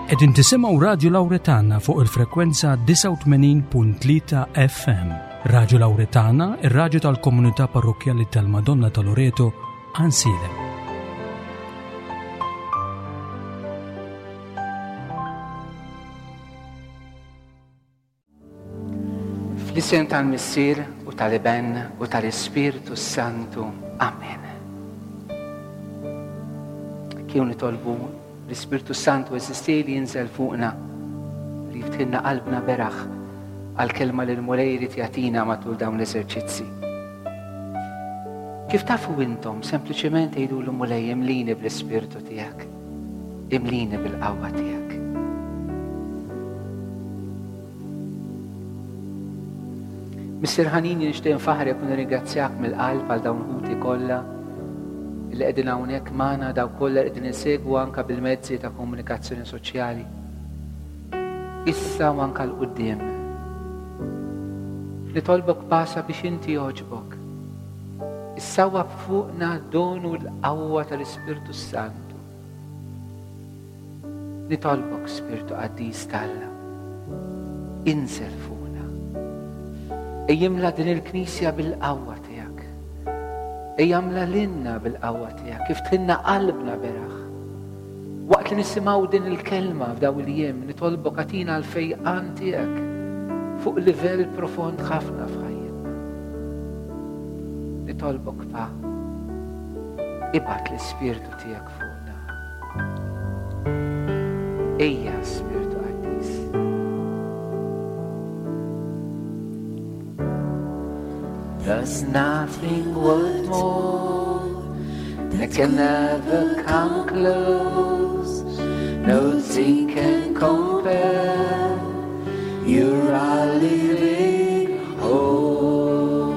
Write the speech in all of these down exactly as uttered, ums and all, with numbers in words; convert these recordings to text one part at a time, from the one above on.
Qegħdin tisimgħu Radju Lawretana fuq il-frekwenza disgħa u tmenin punt tlieta F M. Radju Lawretana, ir-radju tal-komunità parrokkjali tal-Madonna ta' Loreto, Għajnsielem. Fl-isem tal-Missier u tal-Iben u tal-Ispirtu Santu. Amen. Kieku nitolbu l-Ispirtu Santu eżisti li jinżel fuqna, li jiftħilna qalbna beraħ għal-kelma li l-Mulej irid jagħtina matul dawn l-eżerċizzi. Kif tafu intom, sempliċement għidu l-Mulej imlini bl-Ispirtu tiegħek, imlini bil-qawwa tiegħek. Missier ħanini, nixtieq nfaħrek u nirringrazzjak mill-qalb għal dawn ħuti kollha li qegħdin hawnhekk magħna, daw kollha li qegħdin insegwu anke bil-mezzi ta' komunikazzjoni soċjali. Issa u anke 'l quddiem. Nitolbok pasa biex inti jogħġbok. Issawwab fuqna d-don u l-qawwa tal-Ispirtu Santu. Nitolbok, Spirtu Qaddis t'Alla, inżel fuqna. Ejjimla din il-Knisja bil-qawwa tiegħek. Ejjamla lilna bil-qawwa tiegħek, kif tħinna qalbna beraħ. Waqt li nisimgħu din il-kelma f'daw il-jiem, nitolbok agħtina l-fejqan tiegħek fuq livell profond ħafna f'ħajjitna. Nitolbok pa, ibgħat l-Ispirtu tiegħek fuqna. Ejja, Spirtu Qaddis. There's nothing worth more that can never come close. Nothing can compare. You're our living hope.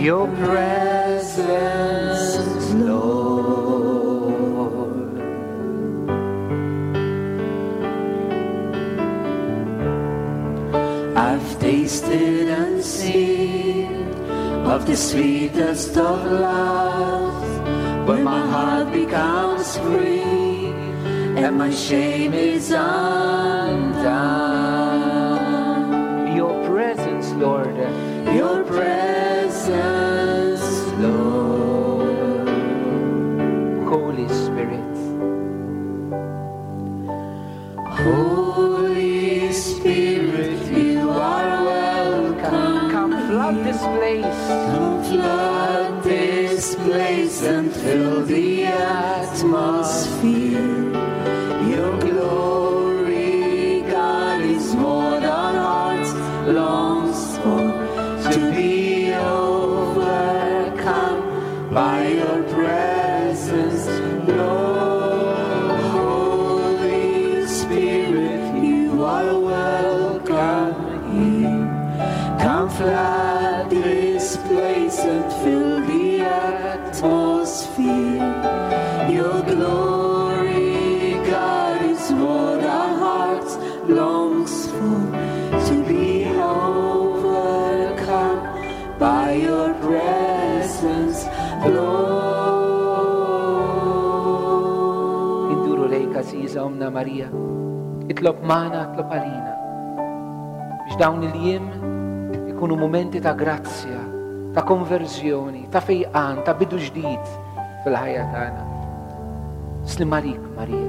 Your presence, Lord. I've tasted and seen of the sweetest of loves, when my heart becomes free and my shame is undone. Your presence, Lord, your presence, Lord. Holy Spirit, Holy Spirit, you are welcome. Come flood this place. Come flood this place and fill the atmosphere. Your glory, God, is more than hearts longs for. To be overcome by your presence, Lord. Holy Spirit, you are welcome here. Come flood this place and fill the atmosphere. Your glory, God, is what our hearts longs for. To be overcome by your presence, Lord. Induru lejk, Għażiża Omna Marija, itlob magħna, itlob għalina, biex dawn il-jiem ikunu momenti ta' grazzja, ta' konverżjoni, ta' fejqan, ta' bidu ġdid fil-ħajja tagħna. Slim għalik, Marija,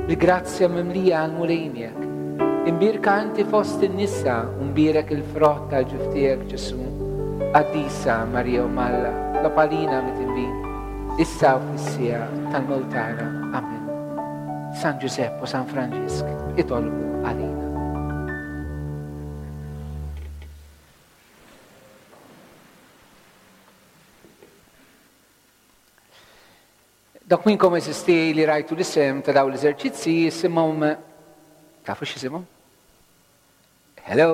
bil-grazzja mimlija għall-Mulej miegħek. Imbierka inti fost in-nisa u mbierek il-frott tal-ġuf tiegħek, Ġesu. Qaddisa Marija Omm Alla, itlob għalina midinbin, issa u fis-siegħa tal-mewt tagħna. Amen. San Ġużepp u San Franġisk itolbu għalina. Dak minnkom eżisti li rajtu l-isem ta' dawn l-eżerċizzi jisimhom, tafu x'isimhom? Hello?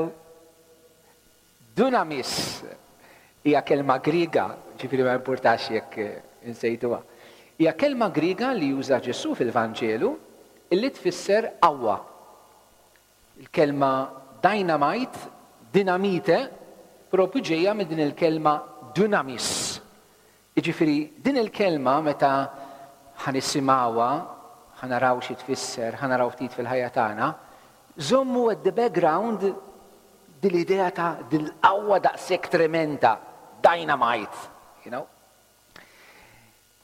Dunamis hija kelma Griega, ġifieri ma importax jekk insejtuha. Hija kelma Griega li juża Ġesu fil-Vanġelu illi tfisser qawwa. Il-kelma dynamite, dinamite, propju ġejja minn din il-kelma dunamis. Jiġifieri din il-kelma meta ħa nisimgħuha, ħa naraw xi tfisser, ħa naraw ftit fil-ħajja tagħna, żommu at the background dil-idea ta' dil-qawwa daqshekk tremenda, dynamite, you know?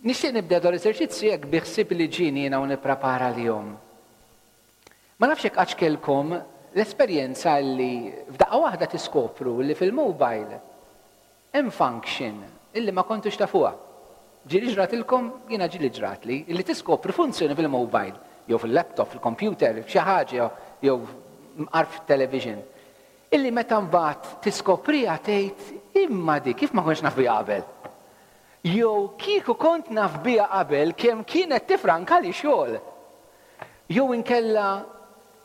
Nixtieq nibda dal eżerċizzju hekk bi ħsieb li ġieni jiena u nipprepara l-jum. Ma nafx hekk qattx kellkom l-esperjenza li f'daqqa waħda tiskopru li fil-mobile hemm function illi ma kontux tafuha. Ġieli ġratilkom, jiena ġieli ġratli, illi tiskopri funzjoni fil-mobile, jew fil-laptop, fil-computer, f'xi ħaġa, jew mqar fit-television. Illi meta mbagħad tiskopriha tgħid imma di kif ma kontx naf biha qabel. Jew kieku kont naf biha qabel kemm kienet tifrankali xogħol. Jew inkella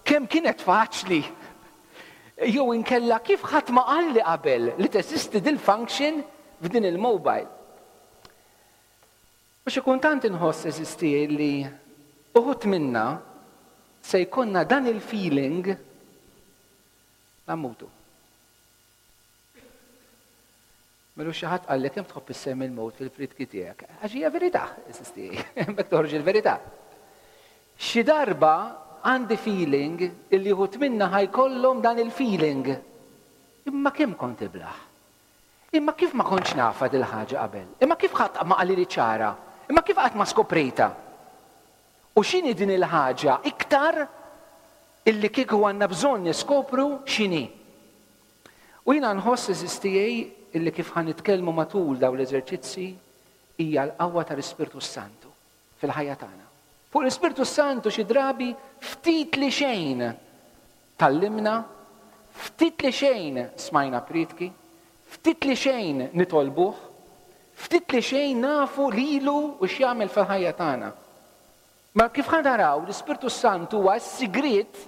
kemm kienet faċli. Jew inkella kif ħadd ma qalli qabel li teżisti dil-function f'din il-mobile. U xi kultant inħoss għeżież tiegħi li uħud minna se jkollna dan il-feeling la mmutu. Melu xi ħadd qallek kemm tħobb issemmi l-mewt fil-priedki tiegħek. Għax hija verità, għeżież tiegħi, hemmhekk toħroġ il-verità. Xi darba għandi feeling illi uħud minna ħa jkollhom dan il-feeling. Imma kemm kont iblah? Imma kif ma kontx nafha dil-ħaġa qabel? Imma kif ħadd ma qalli ċara? Imma kif qatt ma skoprejta? U x'inhi din il-ħaġa iktar illi kieku għandna bżonn niskopru x'inhi? U jiena nħoss għeżież tiegħi illi kif ħa nitkellmu matul daw l-eżerċizzi hija l-qawwa tal-Ispirtu Santu fil-ħajja tagħna. Fuq l-Ispirtu Santu xi drabi ftit li xejn tgħallimna, ftit li xejn smajna priedki, ftit li xejn nitolbuh, ftit li xejn nafu lilu u x'jagħmel fil-ħajja tagħna. Ma kif ħa naraw l-Ispirtu Santu huwa s-sigriet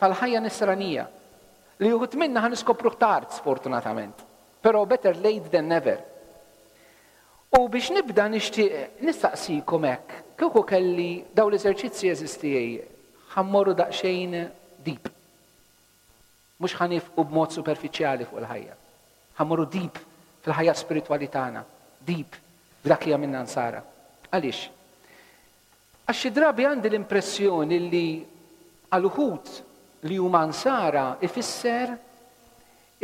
tal-ħajja nisranija li uħud minna ħa niskopruh tard sfortunatament. Però better late than never. U biex nibda nixtieq nistaqsikom hekk, kieku kelli daw l-eżerċizzi għeżież tiegħi, ħa mmorru daqsxejn deep. Mhux ħa nieqfu b'mod superfiċjali fuq il-ħajja. Ħa mmorru deep fil-ħajja spiritwali tagħna, deep f'dak li għamilna nsara. Għaliex? Għax xi drabi għandi l-impressjoni li għal uħud li huma nsara ifisser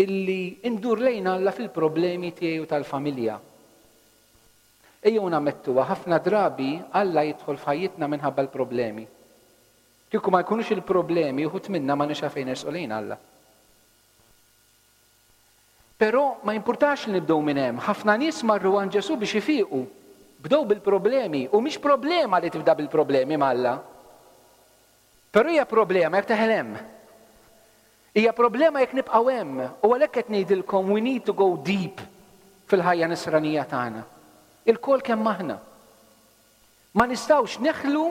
illi indur lejn Alla fil-problemi tiegħi u tal-familja. Ejjew nammettuha, ħafna drabi Alla jidħol f'ħajjitna minħabba l-problemi. Kieku ma jkunux il-problemi, uħud minna ma nix fejn nersqu lejn Alla. Però ma jimpurtax li nibdew minn hemm. Ħafna nies marru għand Ġesù biex ifiqu. Bdew bil-problemi, u mhix problema li tibda bil-problemi m'Alla. Però hija problema jekk teħel hemm. Hija problema jekk nibqgħu hemm. U għalhekk qed ngħidilkom we need to go deep fil-ħajja nisranija tagħna. Ilkoll kemm aħna. Ma nistgħux neħlu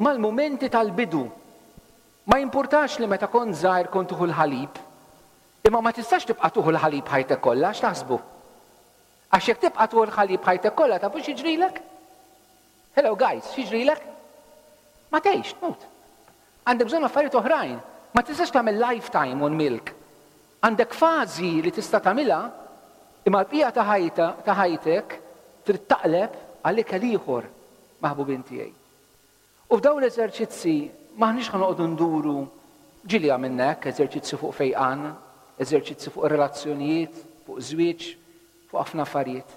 mal-mumenti tal-bidu. Ma jimpurtax li meta kont żgħir kont tieħu l-ħalib. Imma ma tistax tibqa' tieħu l-ħalib ħajtek kollha, x'taħsbu? Għax jekk tibqa' tieħu l-ħalib ħajtek kollha, tafu x'jiġrilek? Hello guys, x'jiġrilek? Ma tgħix, tmut. Għandek bżonn affarijiet oħrajn. Ma tistax tagħmel lifetime on milk. Għandek fażi li tista' tagħmilha, imma l-bqija ta' ħajta ta' ħajtek trid taqleb għal ikel ieħor, maħbubin tiegħi. U f'dawn l-eżerċizzi m'aħniex ħa noqogħdu nduru, ġieli għamilna hekk, eżerċizzi fuq fejqan, eżerċizzi fuq relazzjonijiet, fuq żwieġ, fuq ħafna affarijiet.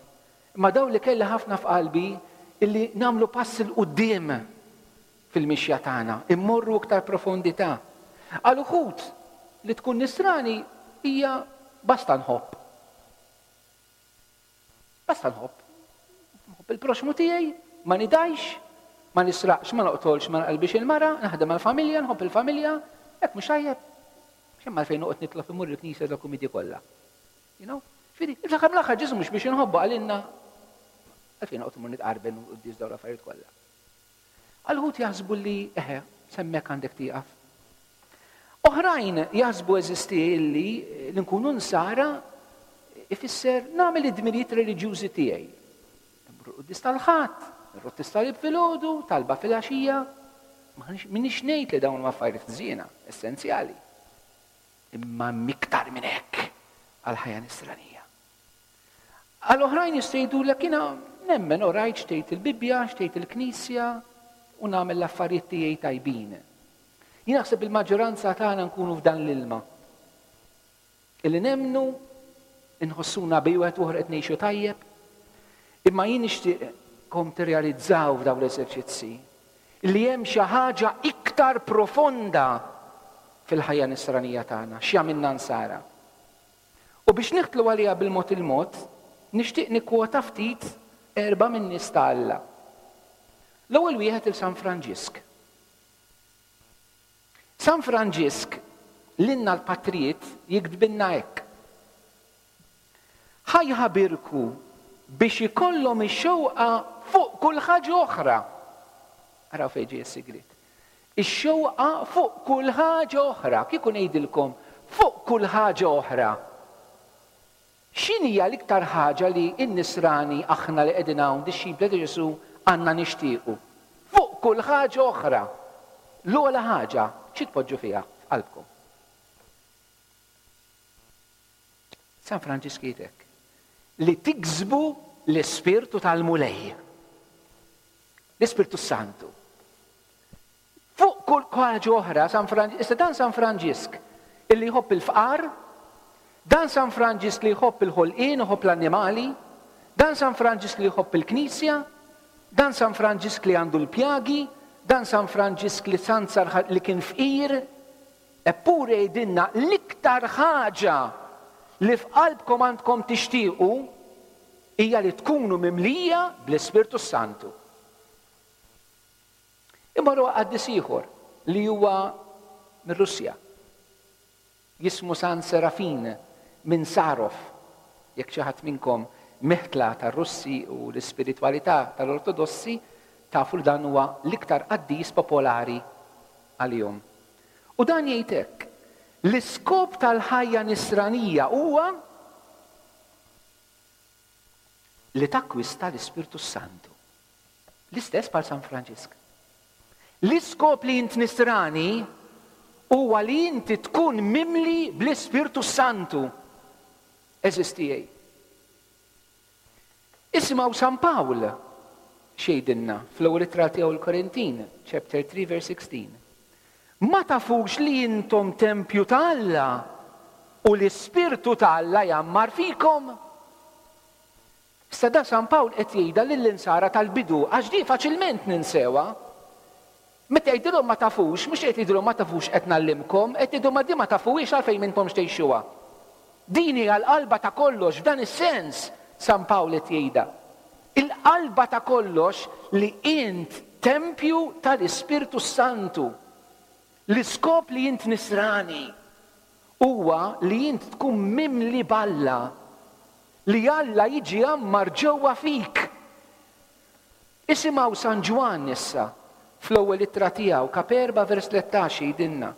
Imma dawn li kelli ħafna f'qalbi illi nagħmlu pass 'il quddiem fil-mixja tagħna, immorru iktar profondità. Għal uħud li tkun nisrani hija basta nħobb. Basta nħobb. Nħobb il-proxmu tiegħi, ma nidgħix, ma nisraqx, ma noqtolx, ma nqalbix il-mara, naħdem għall-familja, nħobb il-familja, hekk mhux tajjeb. X'hemm għalfejn noqgħod nitlob imur il-knisja dokumenti kollha. You know? Ġifieri, fl-aħħar mill-aħħar Ġesù mhux biex inħobbu għalinna għalfejn noqgħod imur nitqarben u quddies dawn l-affarijiet kollha. Għal uħud jaħsbu li eħe, s'hemmhekk għandek tieqaf. Oħrajn jaħsbu għeżież tiegħi illi li nkunu nsara ifisser nagħmel id-dmirijiet reliġjużi tiegħi. Immur quddies tal-Ħadd, irrodd is-salib filgħodu, talba filgħaxija. M'inix ngħid li dawn huma affarijiet ħżiena, essenzjali. Imma iktar minn hekk għal ħajja nisranija. Għal oħrajn jistgħu jgħidulek jiena Nemmen u rajt x'tgħid il-Bibbja, x'tgħid il-Knisja u nagħmel l-affarijiet tiegħi tajbin. Jien naħseb il-maġġoranza tagħna nkunu f'dan l-ilma. Illi nemmnu nħossuna bejn wieħed u ieħor qed ngħixu tajjeb, imma jien nixtieqkom tirrealizzaw f'dawn l-eżerċizzi li hemm xi ħaġa iktar profonda fil-ħajja nisranija tagħna, x'jagħmilna nsara. U biex niħtlu għaliha bil-mod il-mod, nixtieq nikkwota ftit erba' min-nies ta' Alla. L-ewwel wieħed il San Franġisk. San Franġisk lilna l-patrijiet jiktbilna hekk. Ħa jħabirku biex ikollhom ix-xewqa fuq kull ħaġa oħra. Araw fejn ġej is-sigriet. Ix-xewqa fuq kull ħaġa oħra. Kieku ngħidilkom fuq kull ħaġa oħra. X'inhija l-iktar ħaġa li n-nisrani aħna li qegħdin hawn dixxipli ta' Ġesù għandna nixtiequ? Fuq kull ħaġa oħra. L-ogħla ħaġa xi tpoġġu fiha f'qalbkom? San Franġisk jgħid hekk. Li tiksbu l-Ispirtu tal-Mulej. L-Ispirtu Santu. Fuq kull ħaġa oħra, San Franġisk, issa dan San Franġisk illi jħobb il-fqar, dan San Franġisk li jħobb il-ħolqien, jħobb l-annimali, dan San Franġisk li jħobb il-Knisja, dan San Franġisk li għandu l-pjagi, dan San Franġisk li sansar li kien fqir, eppure jgħidilna l-iktar ħaġa li f'qalbkom għandkom tixtiequ hija li tkunu mimlija bl-Ispirtu Santu. Imma huwa qaddis ieħor li huwa mir-Russja. Jismu San Serafin minn Sarov. Jekk xi ħadd minnkom meħtla tar-Russi u l-ispiritwalità tal-Ortodossi, tafu li dan huwa l-iktar qaddis popolari għalihom. U dan jgħid hekk, l-iskop tal-ħajja nisranija huwa li takkwista l-Ispirtu Santu. L-istess bħal San Franġisk. L-iskop li int nisrani huwa li inti tkun mimli bl-Ispirtu Santu. Eżisti tiegħi. Isimgħu San Pawl x'jgħidilna fl-ewwel ittra tiegħu l-Korintin, chapter three verse sixteen. Ma tafux li intom tempju ta' Alla u l-Ispirtu ta' Alla jgħammar fikom? Issa da San Pawl qed jgħidha lill-insara tal-bidu għax di faċilment ninsewha. Meta jgħidilhom ma tafux, mhux qed jgħidilhom ma tafux qed ngħallimkom, qed jgħidu ma di ma tafuhiex għalfejn m'intomx tgħixuha. Din hija l-qalba ta' kollox, f'dan is-sens San Pawl qed jgħidha. Il-qalba ta' kollox li int tempju tal-Ispirtu Santu. L-iskop li int nisrani huwa li int tkun mimli b'Alla, li Alla jiġi jgħammar ġewwa fik. Isimgħu San Ġwann issa fl-ewwel ittra tiegħu, kap erba' vers tlettax jgħidilna.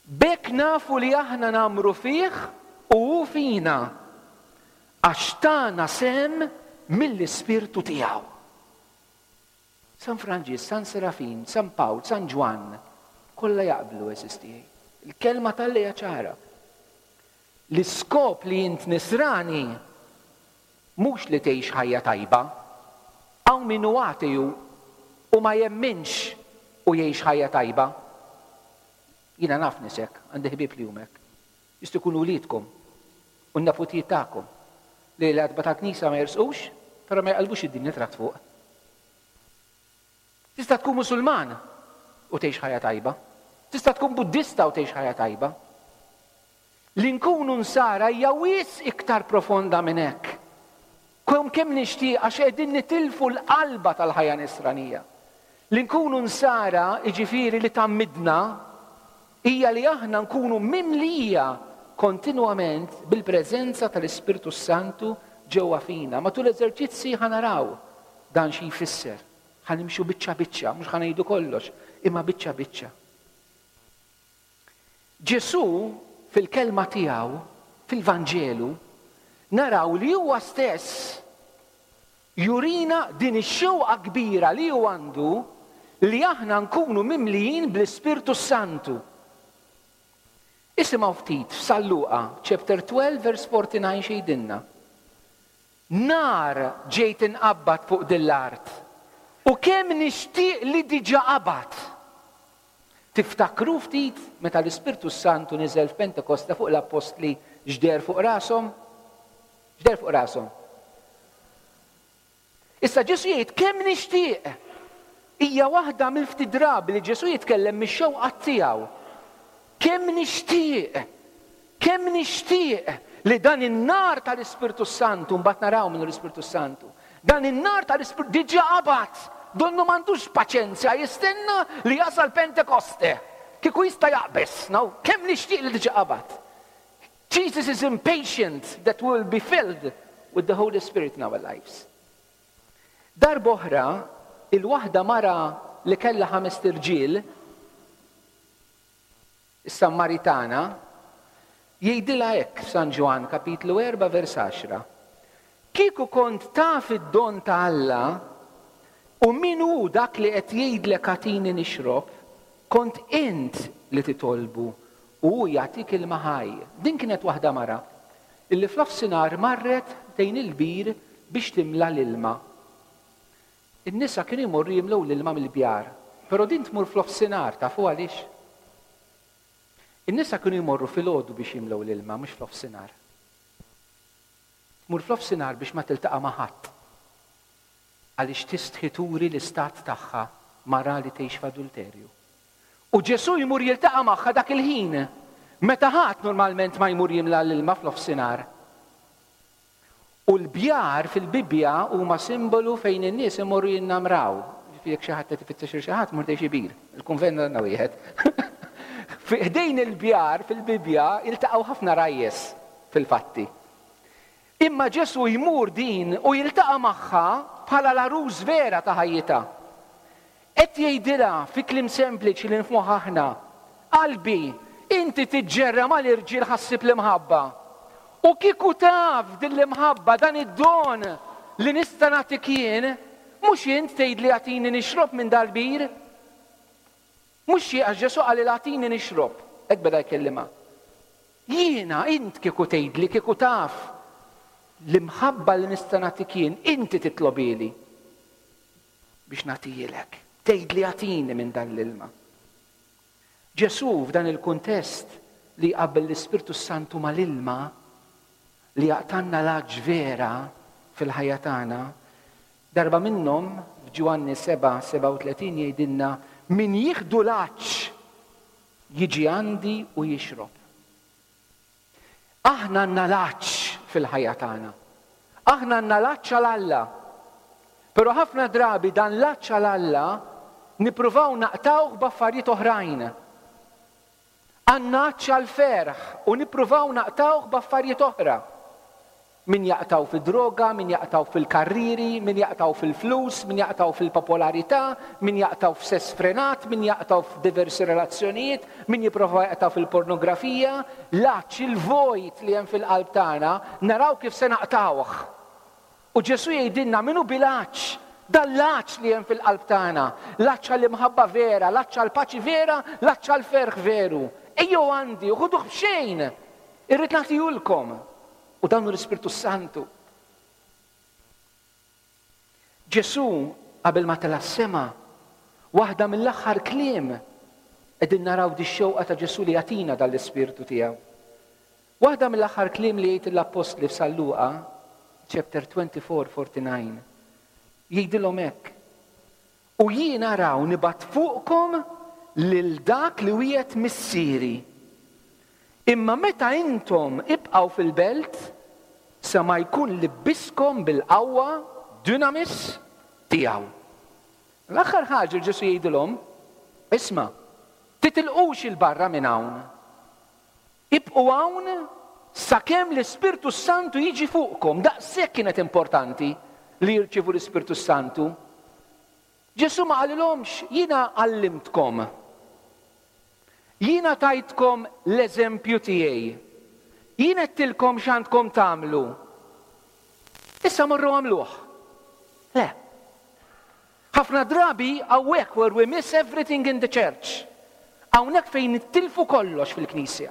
B'hekk nafu li aħna nagħmru fih u hu fina, għax tana sehem mill-Ispirtu tiegħu. San Franġisk, San Serafin, San Pawl, San Ġwann, kollha jaqblu eżisti. Il-kelma tal-lejja ċara. L-iskop li int nisrani mhux li tgħix ħajja tajba. Hawn min hu ateju u ma jemminx u jgħix ħajja tajba. Jiena naf nisek, għandi ħbieb li huma hekk. Jistgħu jkunu wliedkom u n-neputijiet tagħkom li l-għatba tal-knisja ma jersqux, però ma jqalbux id-dinja trat fuq. Tista' tkun Musulman u tgħix ħajja tajba. Tista' tkun Buddista u tgħix ħajja tajba. Li nkunu nsara hija wisq iktar profonda minn hekk. Kemm kemm nixtieq għax qegħdin nitilfu l-qalba tal-ħajja nisranija. Li nkunu nsara, jiġifieri li tgħammidna, hija li aħna nkunu mimlija kontinwament bil-preżenza tal-Ispirtu Santu ġewwa fina. Matul l-eżerċizzi ħa naraw dan xi jfisser. Ħa nimxu biċċa biċċa, mhux ħa ngħidu kollox, imma biċċa biċċa. Ġesù fil-kelma tiegħu, fil-Vanġelu, naraw li huwa stess jurina din ix-xewqa kbira li hu għandu li aħna nkunu mimlijin bl-Ispirtu Santu. Isimgħu ftit f'San Luqa, chapter twelve, verse forty-nine x'jgħidilna. Nar ġejt inqabbad fuq din l-art. U kemm nixtieq li diġà qabad. Tiftakru ftit meta l-Ispirtu Santu niżel f'Pentekoste fuq l-appostli, x'deher fuq rashom? X'deher fuq rashom? Issa Ġesu jgħid kemm nixtieq. Hija waħda mill-ftit drabi li Ġesu jitkellem mix-xewqa tiegħu. Kemm nixtieq, kemm nixtieq li dan in-nar tal-Ispirtu Santu, mbagħad naraw minnu l-Ispirtu Santu. Dan in-nar tal-Ispirtu diġà qabad, donnu m'għandux paċenzja jistenna li jasal Pentekoste. Kieku jista' jaqbeż, no? Kemm nixtieq li diġà qabad. Jesus is impatient that we will be filled with the Holy Spirit in our lives. Darb'oħra, il-waħda mara li kellha ħames irġiel, is-Sammaritana, jgħidilha hekk f'San Ġwann kapitlu erbgħa vers għaxra. Kieku kont taf id-don ta' Alla u min hu dak li qed jgħidlek agħtini nixrob, kont int li titolbu u hu jagħtik ilma ħaj. Din kienet waħda mara illi f'nofsinhar marret ħdejn il-bir biex timla l-ilma. In-nisa kienu jmorru jimlew l-ilma mill-bjar, però din tmur f'nofsinhar, tafu għaliex? In-nisa kienu jmorru filgħodu biex jimlew l-ilma, mhux f'nofsinhar. Tmur f'nofsinhar biex ma tiltaqa' ma' ħadd. Għaliex tistħi turi l-istat tagħha, mara li tgħix f'adulterju. U Ġesu jmur jiltaqa' magħha dak il-ħin, meta ħadd normalment ma jmur jimla l-ilma f'nofsinhar. U l-bjar fil-Bibbja huma simbolu fejn in-nies imorru jinnamraw. Ġifieri jekk xi ħadd qed ifittex xi ħadd, mur xi bir. Il-kunvent għandna wieħed. Ħdejn il-bjar fil-Bibbja iltaqgħu ħafna rajjes fil-fatti. Imma Ġesu jmur din u jiltaqa' magħha bħala l-għarus vera ta' ħajjitha. Qed jgħidilha fi kliem sempliċi li nifhmuh aħna: qalbi, inti tiġġerra mal-irġiel ħa ssib l-imħabba. U kieku taf din l-imħabba, dan id-don li nista' nagħtik jien, mhux int tgħidli agħtini nixrob minn dal-bir? Mhux xi għax Ġesu qal agħtini nixrob, hekk beda jkellimha. Jiena, int kieku tgħidli, kieku taf l-imħabba li nista' nagħtik jien, inti titlobili biex nagħtijilek. Tgħidli agħtini minn dan l-ilma. Ġesu f'dan il-kuntest li qabel l-Ispirtu Santu mal-ilma li jaqtgħalna l-għatx vera fil-ħajja tagħna, darba minnhom f'Ġwanni seba' sebgħa u tletin jgħidilna min jieħdu l-għatx jiġi għandi u jixrob. Aħna għandna l-għatx fil-ħajja tagħna. Aħna għandna l-għatx għal Alla. Però ħafna drabi dan l-għatx għal Alla nippruvaw naqtgħuh b'affarijiet oħrajn. Għandna għatx għal ferħ u nippruvaw naqtgħuh b'affarijiet oħra. Min jaqtgħu fid-droga, min jaqtgħu fil-karriri, min jaqtgħu fil-flus, min jaqtgħu fil-popolarità, min jaqtgħu f'sess frenat, min jaqtgħu f'diversi relazzjonijiet, min jipprova jaqtgħu fil-pornografija. L-għatx, il-vojt li hemm fil-qalb tagħna, naraw kif se naqtgħuh. U Ġesu jgħidilna min hu bil-għatx, dan l-għatx li hemm fil-qalb tagħna, l-għatx għall-imħabba vera, l-għatx għall-paċi vera, l-għatx għall-ferħ veru. Ejjew għandi, u ħuduh b'xejn, irrid nagħtihulkom. U dan hu l-Ispirtu Santu. Ġesu qabel ma tela' s-sema, waħda mill-aħħar kliem qegħdin naraw di xewqa ta' Ġesu li jagħtina dan l-Ispirtu tiegħu. Waħda mill-aħħar kliem li jgħid l-Appostli f'San Luqa, chapter twenty-four, forty-nine, jgħidilhom hekk: U jien araw nibgħat fuqkom lil dak li wiegħed missieri. Imma meta intom ibqgħu fil-belt, sa ma jkun libbiskom bil-qawwa dunamis tiegħu. L-aħħar ħaġa Ġesu jgħidilhom, isma', titilqux il barra minn hawn. Ibqgħu hawn sakemm l-Ispirtu Santu jiġi fuqkom. Daqshekk kienet importanti li jirċievu l-Ispirtu Santu. Ġesu ma qalilhomx, jiena għallimtkom. Jiena tajtkom l-eżempju tiegħi. Jien għedtilkom x'għandkom tagħmlu. Issa morru għamluh. Le. Ħafna drabi hawnhekk where we miss everything in the church. Hawnhekk fejn nittilfu kollox fil-Knisja.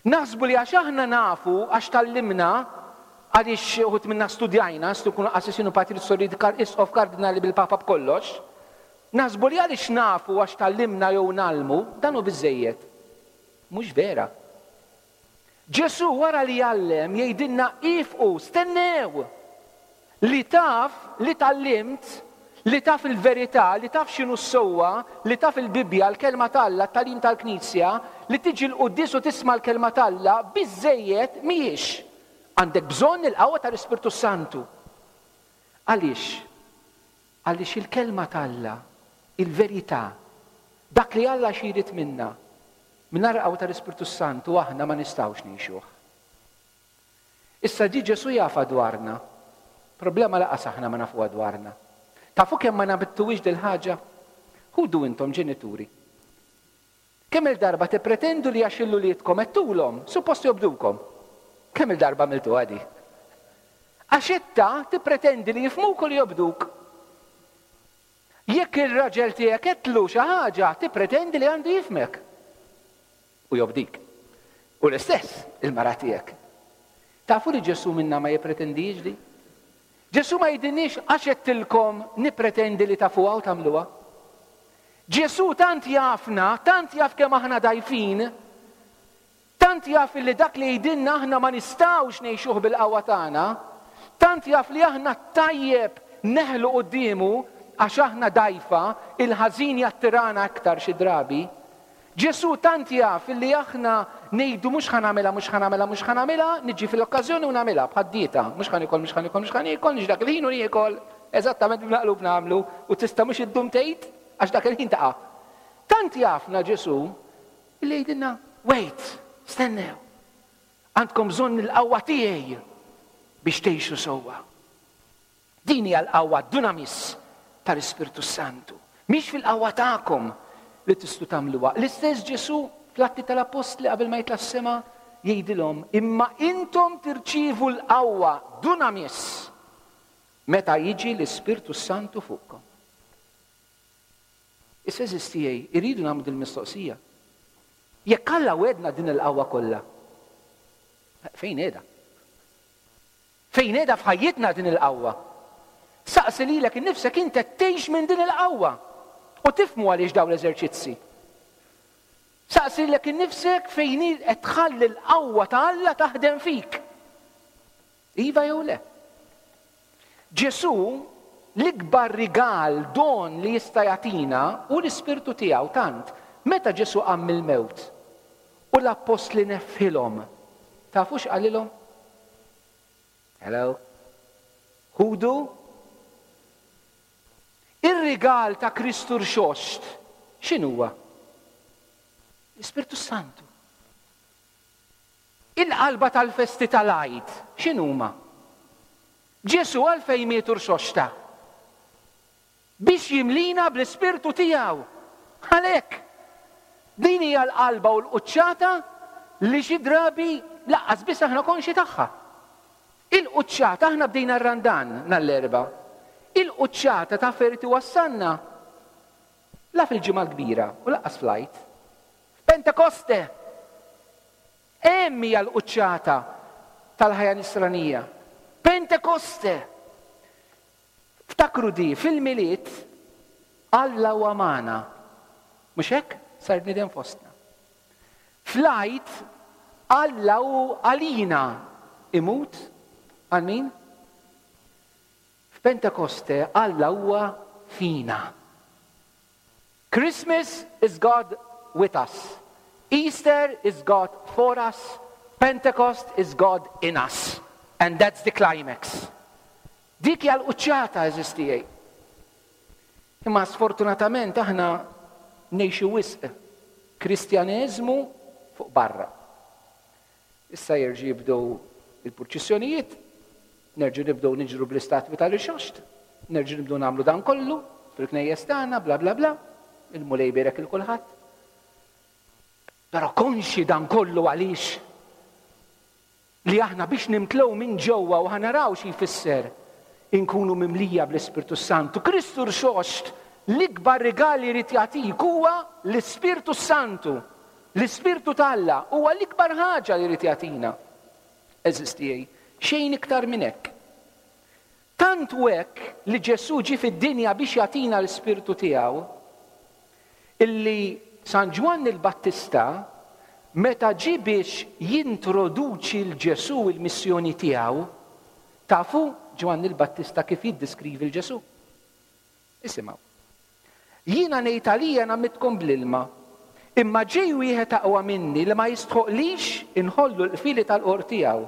Naħsbu li għax aħna nafu, għax tgħallimna, Għaliex uħud minna studjajna, stu kunu qassisin u patri, sorijiet, isqof, kardinali, bil-papa, b'kollox. Naħsbu li għaliex nafu, għax tgħallimna jew ngħallmu, dan hu biżżejjed. Mhux vera. Ġesu wara li jgħallem jgħidilna: "Ifqu, stennew." Li taf, li tgħallimt, li taf il-verità, li taf x'inhu s-sewwa, li taf il-Bibja, l-kelma t'Alla, t-tagħlim tal-Knisja, li tiġi l-quddies u tisma' l-kelma t'Alla, biżżejjed mhijiex. Għandek bżonn il-qawwa tal-Ispirtu Santu. Għaliex? Għaliex il-kelma t'Alla, il-verità, dak li Alla xi jrid minna, mingħajr qawwa tal-Ispirtu Santu aħna ma nistgħux ngħixuh. Issa di Ġesu jafha dwarna. Problema lanqas aħna ma nafuha dwarna. Tafu kemm ma nammettuhiex dil-ħaġa? Ħudu intom ġenituri. Kemm il-darba tippretendu li għax lil uliedkom għedtulhom, suppost jobdukom? Kemm il-darba għamiltu għadi? Għax itta tippretendi li jifhmuk u li jobduk. Jekk il-raġel tiegħek għedtlu xi ħaġa, tippretendi li għandu jifhmek. U jobdik. U l-istess il-mara tiegħek. Tafu li Ġesu minna ma jippretendix li? Ġesu ma jgħidilniex: "Għax għedtilkom nippretendi li tafuha u tagħmluha." Ġesu tant jafna, tant jaf kemm aħna dgħajfin, tant jaf li dak li jgħidilna aħna ma nistgħux ngħixuh bil-qawwa tagħna, tant jaf li aħna tajjeb neħlu quddiemu għax aħna dgħajfa, il-ħażin jattirana aktar xi drabi. Ġesu tant jaf li aħna ngħidu: "Mhux ħa nagħmilha, mhux ħa nagħmilha, mhux ħa nagħmilha", niġi fil-okkażjoni u nagħmilha, bħad-dieta, mhux ħa niekol, mhux ħa niekol, mhux ħa niekol, niġi dak il-ħin u niekol, eżattament bil-maqlub nagħmlu u tista' mhux iddum tgħid għax dak il-ħin taqa'. Tant jafna Ġesu li jgħidilna: "Wait, stennew. Għandkom bżonn il-qawwa tiegħi biex tgħixu sewwa." Din hija l-qawwa dunamis tal-Ispirtu Santu. Mhix fil-qawwa tagħkom li tistgħu tagħmluha. L-istess Ġesu fl-Atti tal-Appostli, qabel ma jitla' s-sema, jgħidilhom: "Imma intom tirċievu l-qawwa dunamis meta jiġi l-Ispirtu Santu fuqkom." Issa, għeżież tiegħi, irridu nagħmlu din mistoqsija. Jekk Alla wegħedna din il-qawwa kollha, fejn qiegħda? Fejn qiegħda f'ħajjitna din il-qawwa? Saqsi lilek innifsek, inti tgħix minn din il-qawwa? U tifhmu għaliex dawn l-eżerċizzi. Saqsi lilek innifsek fejn qed tħalli l-qawwa ta' Alla taħdem fik. Iva jew le? Ġesu l-ikbar rigal, don li jista' jagħtina hu l-Ispirtu tiegħu, tant meta Ġesu qam mill-mewt u l-appostli nefħilhom. Tafu x'qalilhom? Hello? "Ħudu ir-rigal ta' Kristu Rxoxt." X'inhuwa? L-Ispirtu Santu. Il-qalba tal-festi tal-Għid, x'inhuma? Ġesu għalfejn miet u rxoxta? Biex jimlina bl-Ispirtu tiegħu. Għalhekk, din hija l-qalba u l-quċċata li xi drabi lanqas biss aħna konxji tagħha. Il-quċċata, aħna bdejna r-Randan nhar l-Erbgħa. Il-quċċata ta' ferti wassanna la fil-Ġimgħa l-Kbira u lanqas fl-Għid. Pentekoste! Hemm hija l-quċċata tal-ħajja nisranija. Pentekoste! Ftakru di, fil-Milied Alla huwa magħna. Mhux hekk? Sar bniedem fostna. Fl-Għid Alla hu għalina, imut għal min? F'Pentekoste Alla huwa fina. Christmas is God with us. Easter is God for us. Pentecost is God in us. And that's the climax. Dik hija l-quċċata, għeżież tiegħi. Imma sfortunatament aħna ngħixu wisq Kristjaneżmu fuq barra. Issa jerġgħu jibdew il-purċissjonijiet, nerġgħu nibdew niġru bl-istatwi tal-Irxoxt, nerġgħu nibdew nagħmlu dan kollu fil-knejjes tagħna, bla bla bla, il-Mulej ibierek lil kulħadd. Però konxi dan kollu għaliex? Li aħna biex nimtlew minn ġewwa, u ħa naraw xi jfisser inkunu mimlija bl-Ispirtu Santu. Kristu Rxoxt, l-ikbar rigal li jrid jagħtik huwa l-Ispirtu Santu. L-Ispirtu t'Alla huwa l-ikbar ħaġa li jrid jagħtina. Għeżież tiegħi, Xejn iktar minn hekk. Tant hu hekk li Ġesù ġie fid-dinja biex jagħtina l-Ispirtu tiegħu, illi San Ġwann il-Battista meta ġie biex jintroduċi 'l Ġesù il-missjoni tiegħu, tafu Ġwann il-Battista kif jiddiskrivi 'l Ġesù? Isimgħu. Jiena ngħid għalija ngħammidkom bl-ilma, imma ġej wieħed aqwa minni li ma jistħoqlix inħollu l-qfieli tal-qorq tiegħu.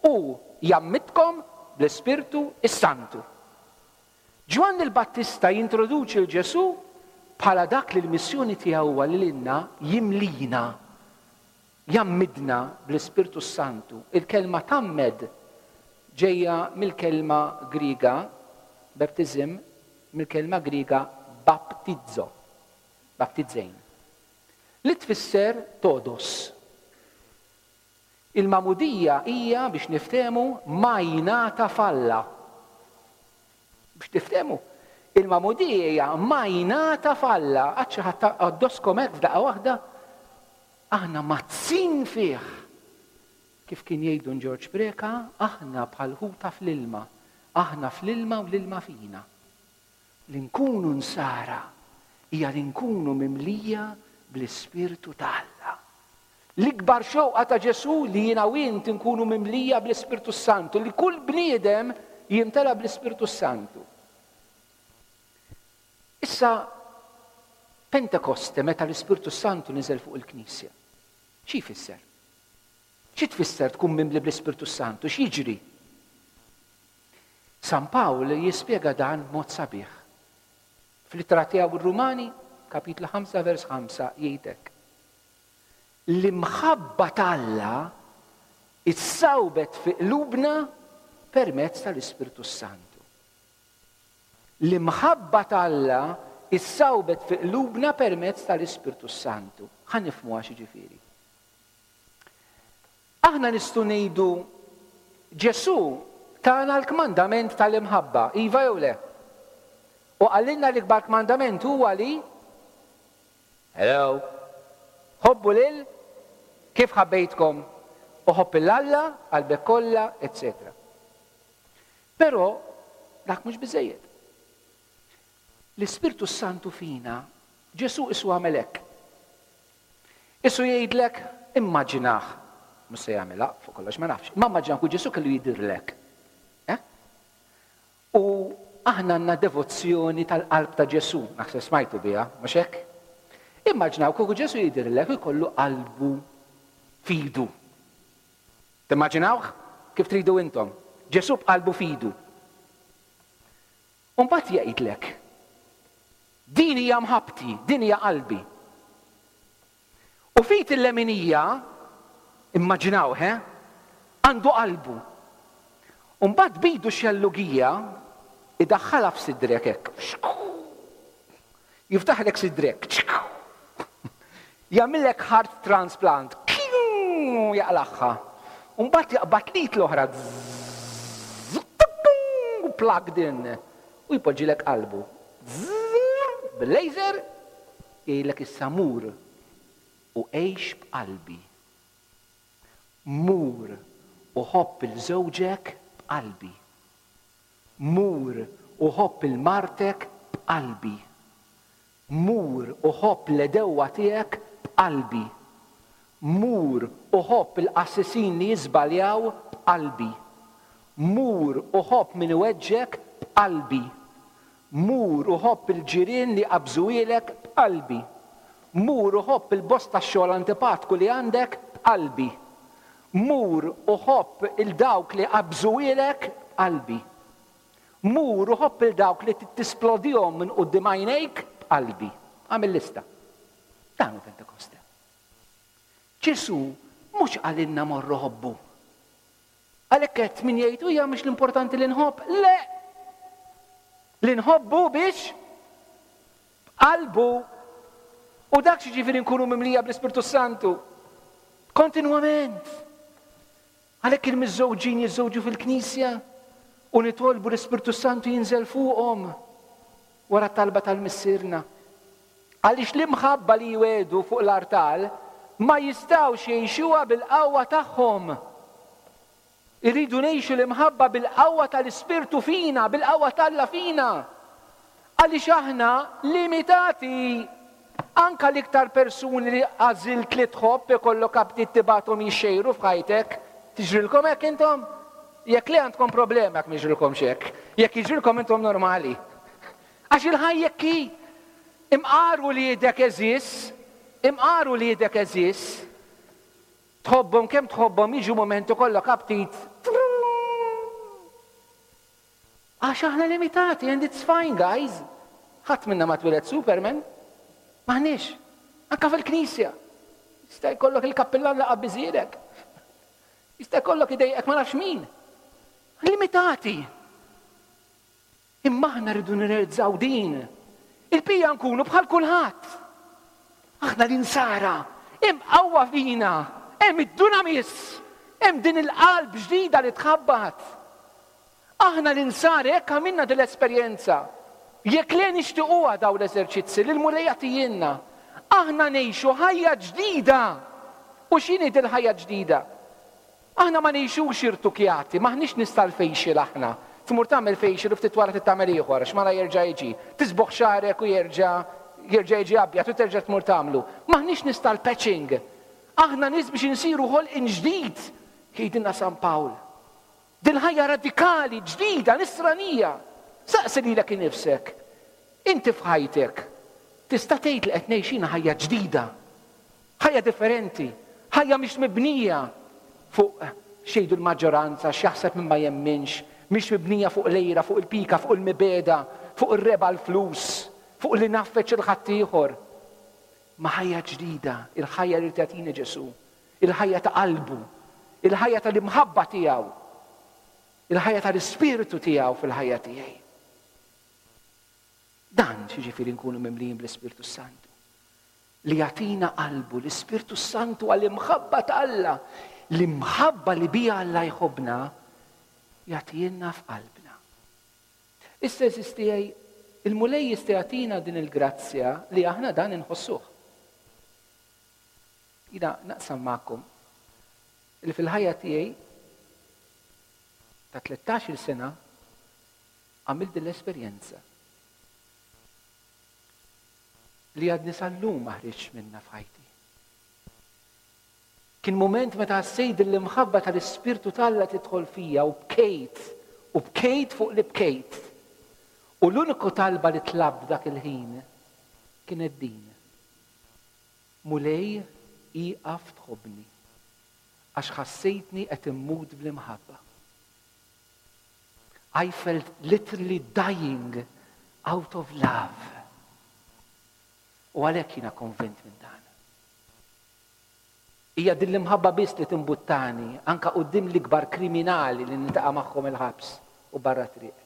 Hu jgħammidkom bl-Ispirtu s-Santu. Ġwann il-Battista jintroduċi 'l Ġesù bħala dak li l-missjoni tiegħu huwa li lilna jimlina, jgħammidna bl-Ispirtu s-Santu. Il-kelma tgħammed ġejja mill-kelma Griega, baptism, mill-kelma Griega baptizo, baptizein, li tfisser todos. Il-magħmudija hija, biex niftehmu, majnata f'Alla. Biex tiftehmu, il-magħmudija hija majnata f'Alla. Għad xi ħadd għaddoskom hekk f'daqqa waħda, aħna mazzin fih. Kif kien jgħidu Ġorġ Preca, aħna bħal ħuta fl-ilma, aħna fl-ilma u l-ilma fina. Li nkunu nsara hija li nkunu mimlija bl-Ispirtu ta' Alla. L-ikbar xewqa ta' Ġesù li jiena u int nkunu mimlija bl-Ispirtu Santu, li kull bniedem jimtela bl-Ispirtu Santu. Issa, Pentekoste, meta l-Ispirtu Santu niżel fuq il-Knisja, xi jfisser? Xi tfisser tkun mimli bl-Ispirtu Santu? X'jiġri? San Pawl jispjega dan b'mod sabiħ. Fl-ittra tiegħu r-Rumani, kapitlu ħamsa vers ħamsa, jgħid hekk. L-imħabba t'Alla issawbet fi qlubna permezz tal-Ispirtu Santu. L-imħabba t'Alla issawbet fi qlubna permezz tal-Ispirtu Santu. Ħa nifhmuha x'jiġifieri. Aħna nistgħu ngħidu Ġesù tana l-kmandament tal-imħabba, iva jew le? U qalilna l-ikbar kmandament huwa li Hello. Ħobbu lil kif ħabbejtkom u ħobb 'il Alla qalbek kollha, eċċetera. Però dak mhux biżejjed. L-Ispirtu Santu fina, Ġesù isu għamel hekk. Isu jgħidlek, immaġinah, mhux se jagħmilha, fuq kollox ma nafx, imma immaġinah u Ġesù kellu jidhirlek. Eh? U aħna għandna devozzjoni tal-qalb ta' Ġesù, naħseb smajtu biha, mhux hekk? Immaġinaw kieku Ġesù jidhirlek u jkollu qalbu f'idu. Timmaġinawh kif tridu intom? Ġesù b'qalbu f'idu. U mbagħad jgħidlek, din hija mħabbti, din hija qalbi. U f'id il-leminija, immaġinawh, eh? Għandu qalbu. U mbagħad b'idu xellugija idaħħalha f'sidrek hekk. Jiftaħlek sidrek. Jagħmillek heart transplant. Jaqlagħha. U mbagħad jaqbad l-id l-oħra. Plugged in. U jpoġġilek qalbu. Bil-laser jgħidlek issa mur u għix b'qalbi. Mur u ħobb 'il żewġek b'qalbi. Mur u ħobb 'il martek b'qalbi. Mur u ħobb l-għedewwa tiegħek b'qalbi. Mur u ħobb il-qassisin li jiżbaljaw b'qalbi. Mur u ħobb min iweġġek b'qalbi. Mur u ħobb il-ġirien li qabżuhielek b'qalbi. Mur u ħobb il-boss tax-xogħol antipatku li għandek b'qalbi. Mur u ħobb 'il dawk li qabżuhielek b'qalbi. Mur u ħobb 'il dawk li tisplodihom minn quddiem għajnejk b'qalbi. Għamil lista. Dan hu Pentekoste. Ġesù mhux qalilna morru ħobbu. Għalhekk qed min jgħid hija mhux l-importanti li nħobb. Le! Li nħobbu biex b'qalbu. U dak x'jiġifieri nkunu mimlija bl-Ispirtu Santu. Kontinwament. Għalhekk il-miżżewġin jiżżewġu fil-Knisja u nitolbu l-Ispirtu Santu jinżel fuqhom wara t-talba tal-Missierna. Għaliex l-imħabba li jwedu fuq l-artal ma jistgħux jgħixuha bil-qawwa tagħhom. Irridu ngħixu l-imħabba bil-qawwa tal-Ispirtu fina, bil-qawwa t'Alla fina. Għaliex aħna limitati. Anka l-iktar persuni li għażilt li tħobb ikollok aptit tibgħathom jixxejru f'ħajtek. Tiġrilkom hekk intom? Jekk li għandkom problema jekk miġrilkomx hekk. Jekk jiġrilkom intom normali. Għax il-ħajja hi. Imqar uliedek għeżież, imqar uliedek għeżież, tħobbhom kemm tħobbhom jiġu momenti kollok aptit. Għax aħna limitati and it's fine guys. Ħadd minna ma twieled Superman. M'aħniex. Anka fil-knisja. Jista' jkollok il-kappillan li qabbiżilek. Jista' jkollok idejqek ma nafx min. Limitati. Imma aħna rridu nirrealizzaw din. Il-pija nkunu bħal kulħadd. Aħna l-insara, hemm qawwa fina, hemm id-dunamis, hemm din il-qalb ġdida li tħabbat. Aħna l-insara jekk għamilna din l-esperjenza, jekk le nixtiequha daw l-eżerċizzi li l-Mulej jagħtijielna, aħna ngħixu ħajja ġdida. U x'inhi din ħajja ġdida? Aħna ma ngħixux irtukjati, m'aħniex nies tal-facial aħna. Tmur tagħmel facial u ftit wara tagħmel ieħor, għax mara jerġa' jiġi. Tiżbogħ xagħrek u jerġa' jerġa' jiġi abjad u terġa' tmur tagħmlu. M'aħniex nies tal-patching. Aħna nies biex insiru ħolqien ġdid, jgħidilna San Pawl. Din ħajja radikali, ġdida, nisranija. Saqsi lilek innifsek. Inti f'ħajtek tista' tgħid li qed ngħix ħajja ġdida. Ħajja differenti, ħajja mhix mibnija fuq x'jgħidu l-maġġoranza, x'jaħseb min ma jemminx, mhix mibnija fuq l-għira, fuq il-pika, fuq il-mibegħda, fuq ir-rebgħa l-flus, fuq li nagħfeġ lil ħaddieħor. Ma ħajja ġdida, il-ħajja li tagħtina Ġesù, il-ħajja ta' qalbu, il-ħajja tal-imħabba tiegħu, il-ħajja tal-ispirtu tiegħu fil-ħajja tiegħi. Dan x'jiġifieri nkunu mimlijin bl-Ispirtu Santu. Li jagħtina qalbu l-Ispirtu Santu għall-imħabba ta' Alla, l-imħabba li bija Alla jħobbna, jagħtihielna f'qalbna. Issa għeżież tiegħi, il-Mulej jista' jagħtina din il-grazzja li aħna dan inħossuh. Jiena naqsam magħkom li fil-ħajja tiegħi ta' tlettax-il sena għamilt din l-esperjenza li għadni sal-lum ma ħriġtx minna f'ħajti. Kien moment meta ħassejt l-imħabba tal-Ispirtu t'Alla tidħol fija u bkejt, u bkejt fuq li bkejt. U l-uniku talba li tlabt dak il-ħin kienet din. Mulej, iqaf tħobbni, għax ħassejtni qed immut bl-imħabba. I felt literally dying out of love. U għalhekk jiena konvint minn dan. Hija din l-imħabba biss li timbuttani anka quddiem l-ikbar kriminali li niltaqa' magħhom il-ħabs u barra triq.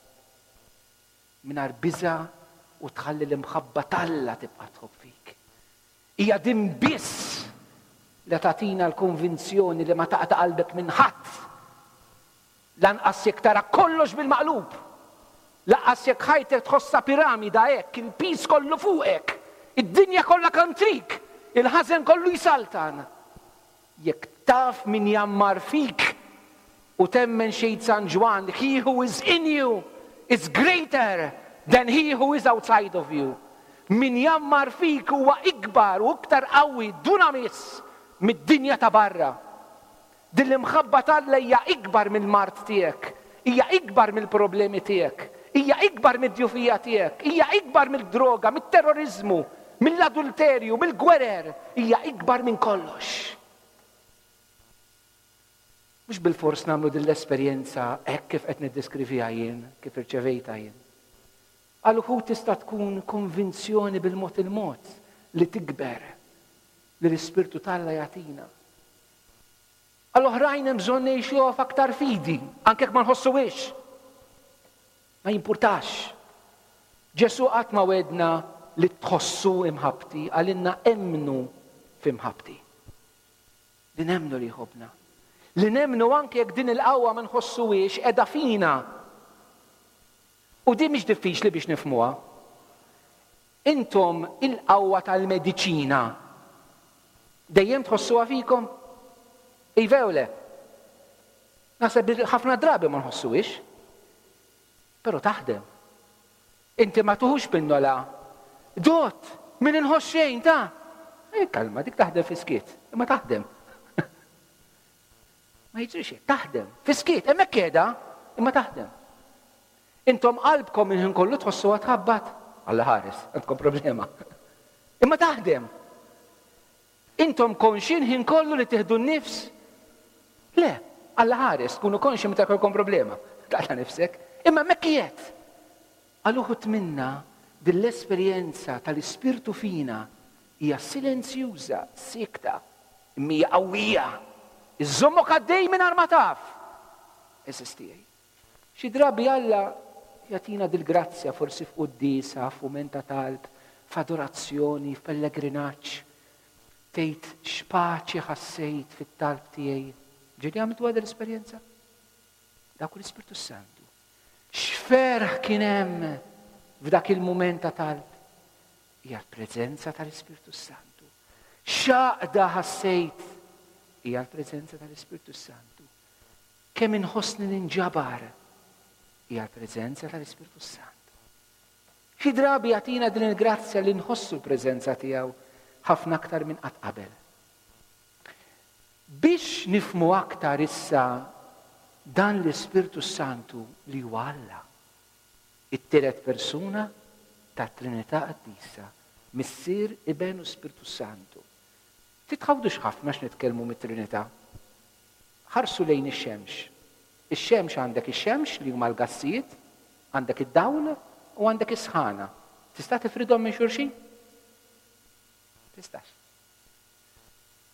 Mingħajr biża' u tħalli l-imħabba t'Alla tibqa' tħobb fik. Hija din biss li tagħtina l-konvinzjoni li ma taqta' qalbek minn ħadd. Lanqas jekk tara kollox bil-maqlub. Lanqas jekk ħajtek tħossha piramida hekk, il-piż kollu fuqek, id-dinja kollha kontrik, il-ħażen kollu jsaltan. Jekk taf min jgħammar fik u temmen x'jgħid San Ġwann, he who is in you is greater than he who is outside of you. Min jgħammar fik huwa ikbar u iktar qawwi dunamis mid-dinja ta' barra. Din l-imħabba t'Alla hija ikbar mill-mard tiegħek, hija ikbar mill-problemi tiegħek, hija ikbar mid-djufija tiegħek, hija ikbar mill-droga, mit-terrorizmu, mill-adulterju, mill-gwerer, hija ikbar minn kollox. Mhux bil-fors nagħmlu din l-esperjenza hekk kif qed niddeskriviha jien, kif irċevejtha jien. Għal uħud tista' tkun konvinzjoni bil-mod il-mod li tikber li l-Ispirtu t'Alla jagħtina. Għal oħrajn hemm bżonn ngħixuha f'aktar fidi, anke jekk ma nħossuhiex. Ma jimpurtax. Ġesù qatt ma wegħedna li tħossu imħabbti, qalilna emmnu f'imħabbti. Li nemmnu li jħobbna. Li nemmnu anke jekk din il-qawwa ma nħossuhiex qiegħda fina. U din mhix diffiċli biex nifhmuha. Intom il-qawwa tal-mediċina dejjem tħossuha fikom? Iva jew le? Naħseb li ħafna drabi ma nħossuhiex. Però taħdem. Inti ma tuħux pinnola. Dott, min inħoss xejn ta' e, kalma, dik taħdem fiskiet. Imma taħdem. Ma jiġrix taħdem. Fiskiet, hemmhekk qiegħda, imma taħdem. Intom qalbkom il-ħin kollu tħossuha tħabbat. Alla ħares, għandkom problema. Imma taħdem. Intom konxin ħin kollu li tieħdu n-nifs? Le, Alla ħares, tkunu konxi meta jkollkom problema. Taqta' nifsek. Imma hemmhekk qiegħed. Għal uħud minna din l-esperjenza tal-Ispirtu fina hija silenzjuża, sikta, imma hija qawwija. Iżommok għaddej mingħajr ma taf. Għeżież tiegħi. Xi drabi Alla jagħtina dil-grazzja forsi f'quddiesa, f'mument ta' talb, f'adorazzjoni, f'pellegrinaġġ. Tgħid x'paċi ħassejt fit-talb tiegħi. Ġieli għamiltu għad l-esperjenza? Dak l-Ispirtu Santu. X'ferħ kien hemm f'dak il-mument ta' talb? Hija l-preżenza tal-Ispirtu Santu. X'għaqda ħassejt? Hija l-preżenza tal-Ispirtu Santu. Kemm inħossni ninġabar? Hija l-preżenza tal-Ispirtu Santu. Xi drabi jagħtina din il-grazzja li nħossu l-preżenza tiegħu ħafna aktar minn qatt qabel. Biex nifhmu aktar issa dan l-Ispirtu Santu li huwa Alla, it-tielet persuna tat-Trinità Qaddisa, Missier, Iben u Spirtu Santu. Titħawdux ħafna x'nitkellmu mit-Trinità. Ħarsu lejn ix-xemx. Ix-xemx għandek ix-xemx li huma l-gassijiet, għandek id-dawl u għandek is-sħana. Tista' tifridhom minn xulxin? Tistax.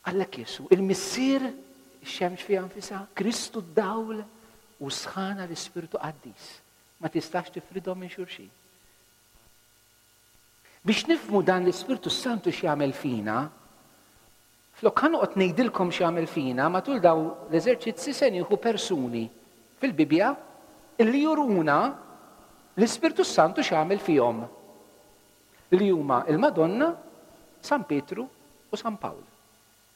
Għallek Jesù, il-Missier ix-xemx fiha nfisha, Kristu d-dawl u sħana l-Ispirtu Qaddis. Ma tistax tifridhom minn xulxin. Biex nifhmu dan l-Ispirtu Santu x'jagħmel fina, flok ħa noqgħod ngħidilkom x'jagħmel fina, matul daw l-eżerċizzi se nieħu persuni fil-Bibbja illi juruna l-Ispirtu Santu x'jagħmel fihom. Li huma il-Madonna, San Pietru u San Pawl.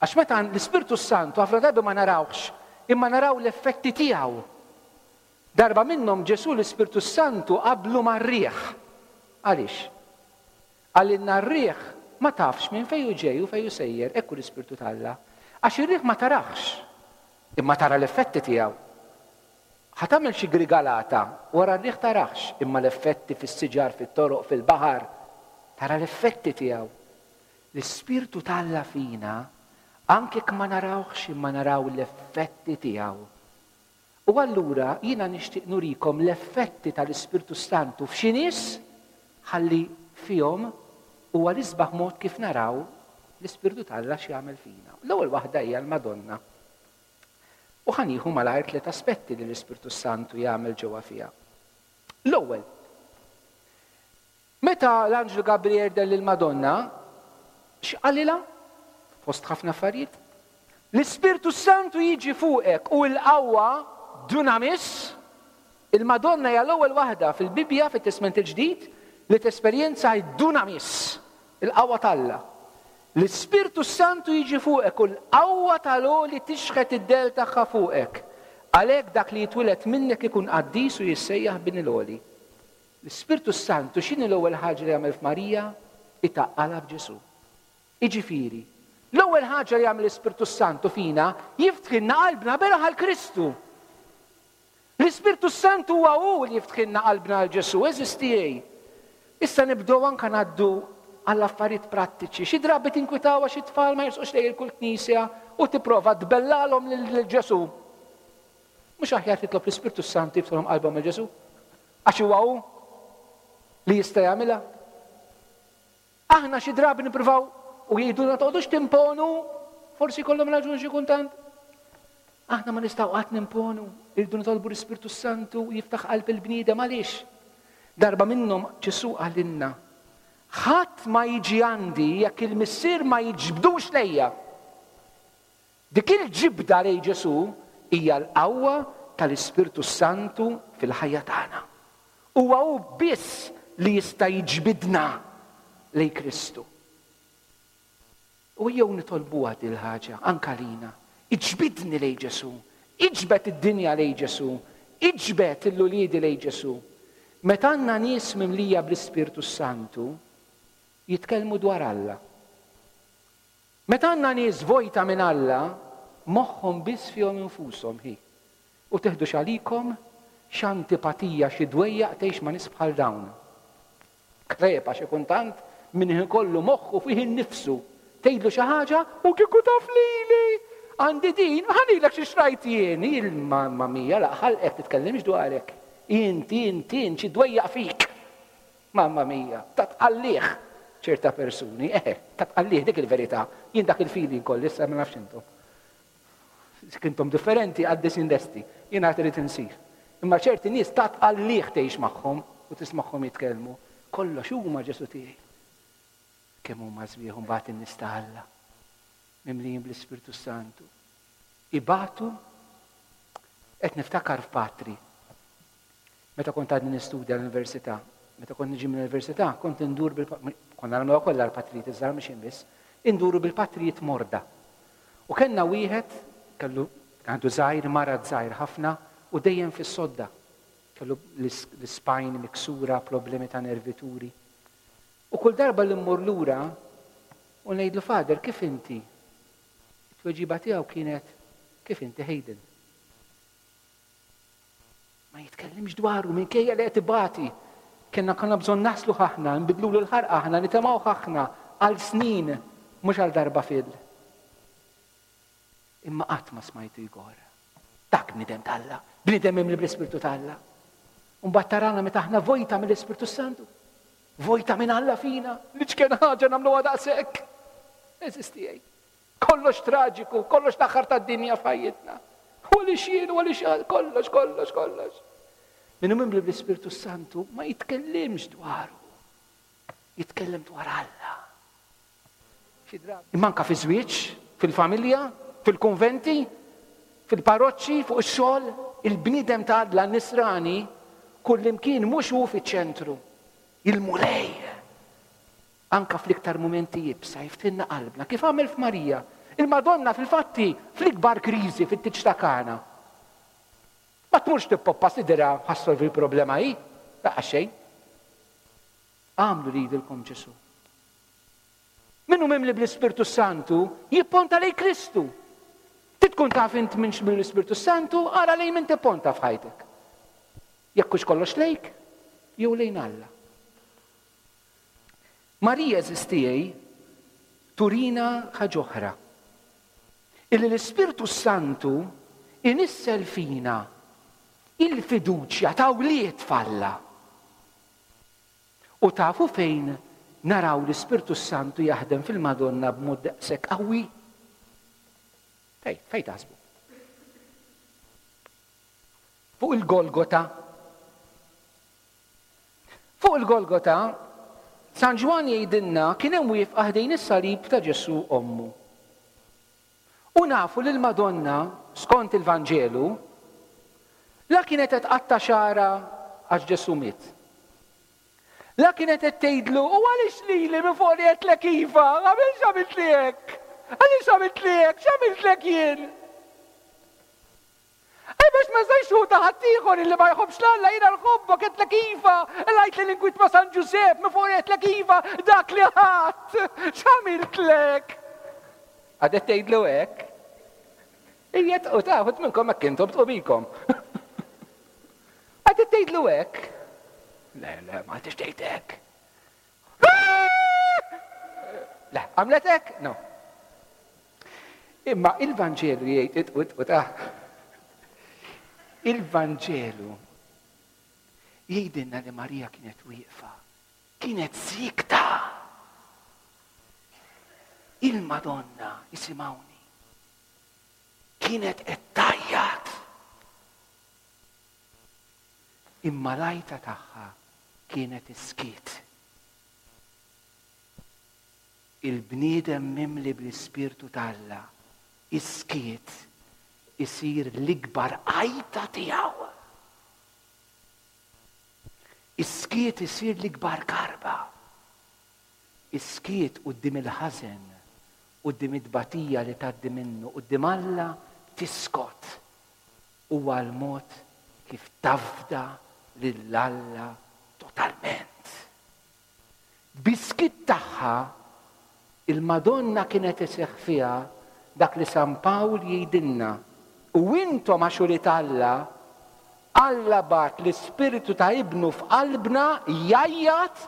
Għax meta l-Ispirtu Santu ħafna drabi ma narawx, imma naraw l-effetti tiegħu. Darba minnhom Ġesù l-Ispirtu Santu qablu mar-riħ. Għaliex? Għalina r-riħ ma tafx minn fejn hu ġej u fejn hu sejjer, hekk hu l-Ispirtu t'Alla. Għax ir-riħ ma tarax, imma tara l-effetti tiegħu. Ħa tagħmel xi grigalata, wara r-riħ tarax, imma l-effetti fis-siġar, fit-toroq, fil-baħar, tara l-effetti tiegħu. L-Ispirtu t'Alla fina, anke jekk ma narawx imma naraw l-effetti tiegħu. U allura jiena nixtieq nurikom l-effetti tal-Ispirtu Santu f'xi nies ħalli fihom huwa l-isbaħ mod kif naraw l-Ispirtu t'Alla x'jagħmel fina. L-ewwel waħda hija l-Madonna. U ħa nieħu malajr tliet aspetti li l-Ispirtu Santu jagħmel ġewwa fiha. L-ewwel, meta l-Anġlu Gabriel deher lill-Madonna, x'qalilha? Fost ħafna affarijiet. L-Ispirtu Santu jiġi fuqek u l-qawwa dunamis. Il-Madonna hija l-ewwel waħda fil-Bibbja fit-Testment il-Ġdid li tesperjenza d-dunamis, il-qawwa t'Alla. L-Ispirtu Santu jiġi fuqek u l-qawwa tal-Għoli tixħet id-del tagħha fuqek. Għalhekk dak li jitwieled minnek ikun qaddis u jissejjaħ bin il-Għoli. L-Ispirtu Santu x'inhi l-ewwel ħaġa li jagħmel f'Marija? Itaqqalha b'Ġesù. Jiġifieri, l-ewwel ħaġa li jagħmel l-Ispirtu Santu fina jiftħilna qalbna beraħ għal Kristu. L-Ispirtu Santu huwa hu li jiftħilna qalbna għal Ġesù, għeżież tiegħi. Issa nibdew anke ngħaddu għall affarijiet prattiċi. Xi drabi tinkwitaw għax it-tfal ma jersqux lejn il-kull knisja u tipprova tbellalhom lil Ġesù. Mhux aħjar titlob l-Ispirtu Santu jiftħilhom qalbhom lil Ġesù? Għax huwa hu li jista' jagħmilha. Aħna xi drabi nippruvaw u jgħidulna toqgħodux timponu, forsi jkollhom raġun xi kultant. Aħna ma nistgħu qatt nimponu, irridu nitolbu l-Ispirtu Santu jiftaħ qalb il-bniedem. Għaliex? Darba minnhom Ġesù qalilna, ħadd ma jiġi għandi jekk il-Missier ma jiġbdux lejja. Dik il-ġibda lej Ġesù hija l-qawwa tal-Ispirtu Santu fil-ħajja tagħna. Huwa hu biss li jista' jiġbidna lej Kristu. U jew nitolbuha din il-ħaġa anke lina. Iġbidni lej Ġesù, Iġbed id-dinja lejn Ġesù, iġbed l-uliedi lejn Ġesù. Meta għandna nies mimlija bl-Ispirtu Santu, jitkellmu dwar Alla. Meta għandna nies vojta minn Alla, moħħhom biss fihom infushom hi. U teħdux għalikom x'antipatija xi dwejjaq tgħix ma' nies bħal dawn. Krepa xi kuntant min ikollu moħħu fih innifsu. Tgħidlu xi ħaġa u kieku taf lili. Għandi din, ħanilek xi xrajt jien, il-mamma mia, la ħalqek titkellimx dwarek. Inti, inti, xi dwejjaq fik. Mamma mia, ta' tqallih ċerta persuni, eh, ta' tqallih dik il-verità. Jien dak il-feeling kolli, issa ma nafx intom. Kintom differenti għaddisin lesti, jien għad irid insir. Imma ċerti nies ta' tqallih tgħix magħhom u tismagħhom jitkellmu. Kollox huma Ġesù tiegħi. Kemm huma sbieħ mbagħad in-nies ta' Alla. Mimlijin bl-Ispirtu Santu. Ibatu, qed niftakar f'patri. Meta kont għadni nistudja l-università, meta kont niġi mill-università, kont indur bil konna nagħmluha kollha l-patrijiet iż-żgħar mhux biss, induru bil-patrijiet morda. U kellna wieħed kellu għandu żgħir, marad żgħir ħafna u dejjem fis-sodda. Kellu l-spine miksura, problemi ta' nervituri. U kull darba li mmur lura u ngħidlu Father, kif inti? It-tweġiba tiegħu kienet kif inti Hayden. Ma jitkellimx dwaru minkejja li qed ibati. Kenna konna bżonn naslu aħna, nbidlulu l-ħarqa aħna, nitemgħu aħna għal snin, mhux għal darba fil. Imma qatt ma smajtu jgor. Dak bniedem t'Alla, bniedem mimli bl-Ispirtu t'Alla. Mbagħad tarana meta aħna vojta mill-Ispirtu Santu. Vojta minn Alla fina, li ċken ħaġa nagħmluha daqshekk. Eżisti jgħid. Kollox traġiku, kollox l-aħħar tad-dinja f'ħajjitna. U li xien, u li xien, kollox, kollox, kollox. Min hu mimli bl-Ispirtu Santu ma jitkellimx dwaru. Jitkellem dwar Alla. Imma anka fi żwieġ, fil-familja, fil-konventi, fil-parroċċi, fuq ix-xogħol, il-bniedem ta' Alla nisrani kullimkien mhux hu fiċ-ċentru. Il-Mulej. Anka fl-iktar mumenti jibsa jiftinna qalbna. Kif għamel f'Marija? Il-Madonna fil-fatti fl-ikbar kriżi fit-tieġ ta' Kana. Ma tmurx tippoppa sidra ħassolvi l-problema hi, laqgħa xejn. Għamlu li jidilkom Ġesù. Minnu mimli bl-Ispirtu Santu jipponta lejn Kristu. Titkun taf int minx mill-Ispirtu Santu, ara lejn min tipponta f'ħajtek. Jekk hux kollox lejk, jew lejn Alla. Marija eżistijaj turina ħaġa oħra. Illi l-Ispirtu Santu inissel fina il-fiduċja ta' wlied f'Alla. U tafu fejn naraw l-Ispirtu Santu jaħdem fil-Madonna b'mod daqshekk qawwi? Fej, fej taħsbu? Fuq il-Golgota. Fuq il-Golgota, San Ġwann jgħidilna kien hemm wieqfa ħdejn is-salib ta' Ġesù ommu. U nafu li l-Madonna, skont il-Vanġelu, la kienet qed tqatta' xagħarha għax Ġesù miet. La kienet qed tgħidlu, u għaliex lili minn fuq li qedlek iva, għamilx għamilt li hekk? Għaliex għamilt li hekk? X'għamiltlek jien? Ej, biex ma żgħix hu ta' ħaddieħor illi ma jħobbx l-Alla, jiena nħobbok, qedlek iva, lajt li l-inkwit ma' San Ġużepp, minn fuq li qedlek iva, dak li ħadd, x'għamiltlek? Għadet tgħidlu hekk? Ija u taħut minnkom hekk intom tqubikom. Għadet tgħidlu hekk? Le, le, ma għadx tgħid hekk. Le, għamlet hekk? No. Imma il-Vanġelu jgħid it u ta' Il-Vanġelu jgħidilna li Marija kienet wieqfa, kienet sikta. Il-Madonna, isimgħuni, kienet qed tgħajjat. Imma l-għajta tagħha kienet iskiet. Il-bniedem mimli bl-Ispirtu t'Alla, iskiet isir l-ikbar għajta tiegħu. Iskiet isir l-ikbar karba. Iskiet quddiem il-ħażen, quddiem it-tbatija li tgħaddi minnu, quddiem Alla tiskot. Huwa l-mod kif tafda lil Alla totalment. Bis-skiet tagħha il-Madonna kienet iseħħ fiha dak li San Pawl jgħidilna. U intom għax ulied Alla, Alla bagħat l-Ispirtu ta' Ibnu f'qalbna jgħajjat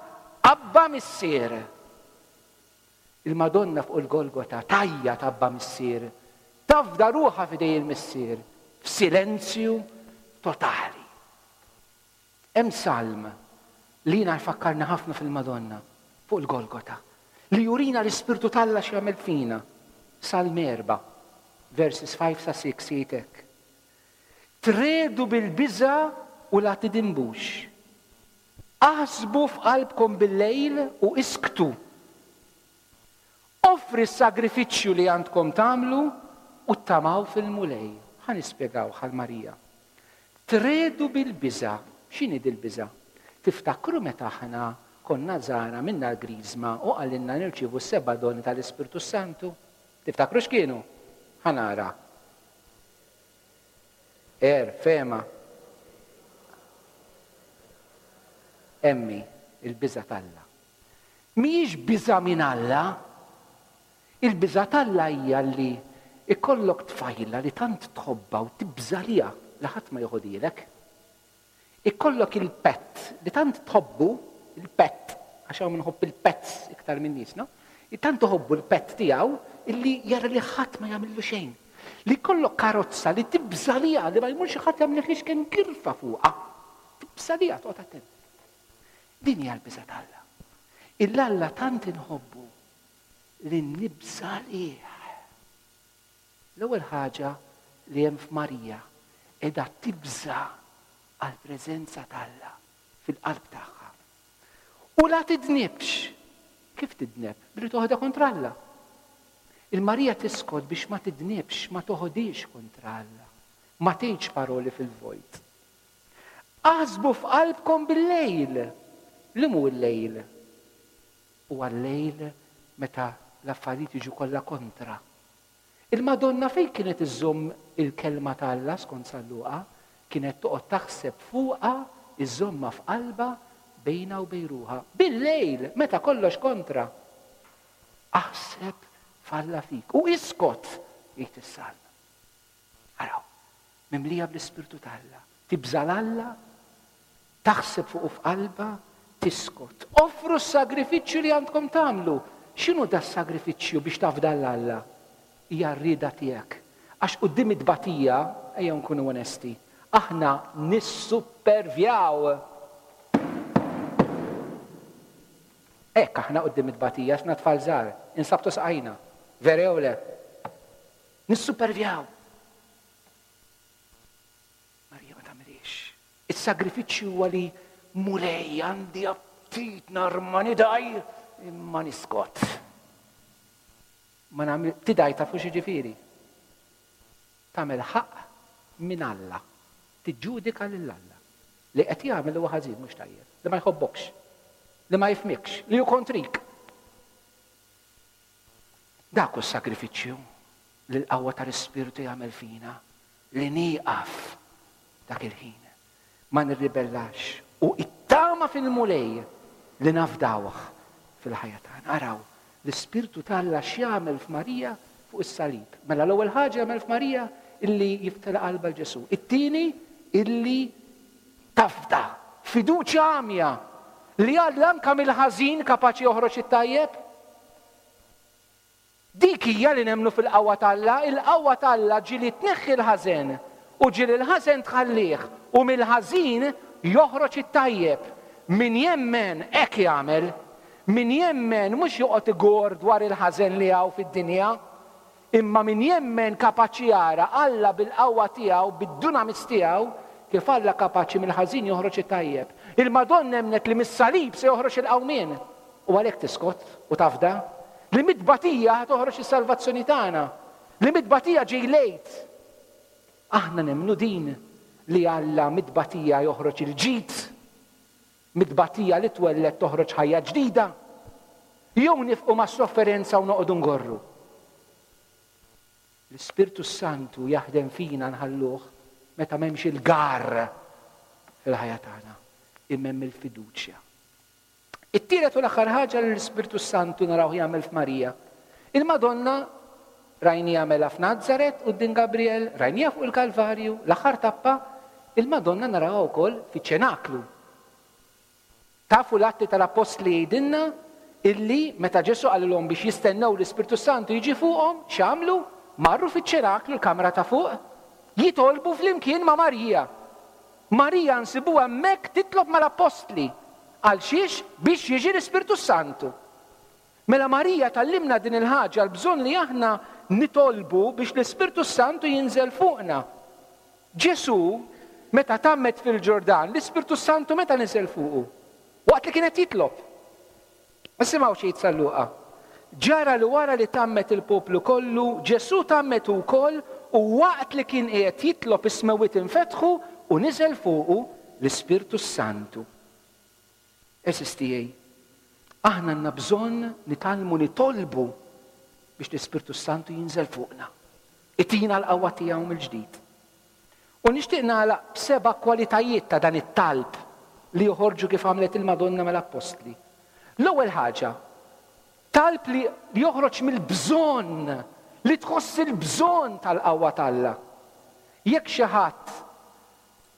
Abba Missier. Il-Madonna fuq il-Golgota tgħajjat Abba Missier, tafda ruħha f'idej il-Missier, f'silenzju totali. Hemm salm li jiena jfakkarni ħafna fil-Madonna fuq il-Golgota, li jurina l-Ispirtu t'Alla x'jagħmel fina. Salm erba', verses five sa six jgħid hekk. Tredu bil-biża' u la tidinbux. Aħsbu f'qalbkom bil-lejl u isktu. Offri s-sagrifiċċju li għandkom tagħmlu u tamaw fil-Mulej. Ħa nispjegaw ħal Marija. Tredu bil-biża'. X'inhi dil-biża'? Tiftakru meta aħna konna żgħar minna l-Griżma u qalilna nirċievu s-seba' doni tal-Ispirtu Santu? Tiftakru x'kienu? Ħa nara. Er, fema. Emmi, il-biża' t'Alla. Mhijiex biża' minn Alla. Il-biża' t'Alla hija li ikollok tfajla li tant tħobbha u tibża' liha li ħadd ma joħodilek. Ikollok il-pet li tant tħobbu, il-pet, għax hawn minħobb il-pets iktar minn nies, no? Tant tħobbu l-pet tiegħu illi jara li ħadd ma jagħmillu xejn. Li jkollok karozza li tibża' liha li ma jmurx ħadd jagħmlek kemm kirfa fuqha. Tibża' liha, toqgħod attent. Din hija l-biża' t'Alla. Il-Alla tant inħobbu li nibża' lih. L-ewwel ħaġa li hemm f'Marija qiegħda tibża' għall-preżenza t'Alla fil-qalb tagħha. U la tidnibx. Kif tidneb? Billi toħodha kontra Alla. Il-Marija tiskot biex ma tidnibx, ma toħodix kontra Alla. Ma tgħidx paroli fil-vojt. Aħsbu f'qalbkom bil-lejl. Li mhu l-lejl? Huwa l-lejl meta l-affarijiet jiġu kollha kontra. Il-Madonna fejn kienet iżżomm il-kelma ta' Alla skont San Luqa, kienet toqgħod taħseb fuqha, iżżommha f'qalbha bejna u bejn ruħha. Bil-lejl, meta kollox kontra. Aħseb f'Alla fik u iskot, jgħid is-salm. Araw, mimlija bl-Ispirtu t'Alla, tibża' l-Alla, taħseb fuqu f'qalbha, tiskot. Offru s-sagrifiċċju li għandkom tagħmlu. X'inhu da s-sagrifiċċju biex tafda l-Alla? Hija r-rieda tiegħek. Għax quddiem it-tbatija, ejja nkunu onesti, aħna nissuppervjaw. Hekk aħna quddiem it-tbatija, aħna tfal żgħar, insabtu saqajna. Vera jew le? Nissuppervjaw. Marija ma tagħmilix. Is-sagrifiċċju huwa li Mulej għandi aptit narma nidaj imma niskot. Ma nagħmel tidaj tafu xi ġifieri. Tagħmel ħaqq minn Alla. Tiġġudika lil Alla. Li qed jagħmel huwa ħażin mhux tajjeb, li ma jħobbokx, li ma jifhmikx, li hu kontrik. Dak hu s-sagrifiċċju li l-qawwa tal-Ispirtu jagħmel fina, li nieqaf dak il-ħin. Ma nirribellax u it-tama fil-Mulej li nafdawh fil-ħajja tagħna. Araw, l-Ispirtu t'Alla x'jagħmel f'Marija fuq is-salib. Mela l-ewwel ħaġa jagħmel f'Marija illi jiftela qalbha l Ġesù. It-tieni illi tafda, fiduċja għamja li Alla anke mill-ħażin kapaċi joħroġ it-tajjeb. Dik hija li nemmnu fil-qawwa t'Alla, il-qawwa t'Alla ġieli tneħħi l-ħażen u ġieli l-ħażen tħallih u mill-ħażin joħroġ it-tajjeb. Min jemmen hekk jagħmel. Min jemmen mhux joqgħod igor dwar il-ħażen li hawn fid-dinja, imma min jemmen kapaċi jara Alla bil-qawwa tiegħu, bid-dunamis tiegħu, kif Alla kapaċi mill-ħażin joħroġ it-tajjeb. Il-Madonna emnet li mis-salib se joħroġ il-qawmien. U għalhekk tiskot u tafda li mit-tbatija ħa toħroġ is-salvazzjoni tagħna, li mit-tbatija ġej lejt. Aħna nemmnu din li Alla mit-tbatija joħroġ il-ġid, mit-tbatija li twelled toħroġ ħajja ġdida. Jew nifqu mas-sofferenza u noqogħdu ngorru. L-Ispirtu Santu jaħdem fina nħalluh meta m'hemmx il-gar fil-ħajja tagħna, imma hemm il-fiduċja. It-tielet u l-aħħar ħaġa li l-Ispirtu Santu naraw jagħmel f'Marija. Il-Madonna rajniha mela f'Nazaret quddiem Gabriel, rajniha fuq il-Kalvarju, l-aħħar tappa, il-Madonna narawha wkoll fiċ-ċenaklu. Tafu l-Atti tal-Appostli jgħidilna illi meta Ġesù qalilhom biex jistennew l-Ispirtu Santu jiġi fuqhom, x'għamlu? Marru fiċ-ċenaklu, l-kamra ta' fuq, jitolbu flimkien ma' Marija. Marija nsibuha hemmhekk titlob mal-Appostli. Għal xiex? Biex jiġi l-Ispirtu Santu. Mela Marija tgħallimna din il-ħaġa, l-bżonn li aħna nitolbu biex l-Ispirtu Santu jinżel fuqna. Ġesù, meta tgħammed fil-Ġordan, l-Ispirtu Santu meta niżel fuqu? Waqt li kienet jitlob. Nisimgħu xi San Luqa. Ġara li wara li tgħammed il-poplu kollu, Ġesù tgħammed ukoll u waqt li kien qiegħed jitlob is-smewwiet infetħu u niżel fuqu l-Ispirtu Santu. Għeżież tiegħi, aħna għandna bżonn nitgħallmu nitolbu biex l-Ispirtu Santu jinżel fuqna. Itina l-qawwa tiegħu mill-ġdid. U nixtieq nagħlaq b'seba' kwalitajiet ta' dan it-talb li joħorġu kif għamlet il-Madonna mal-Appostli. L-ewwel ħaġa, talb li joħroġ mill-bżonn, li tħoss il-bżonn tal-qawwa t'Alla. Jekk xi ħadd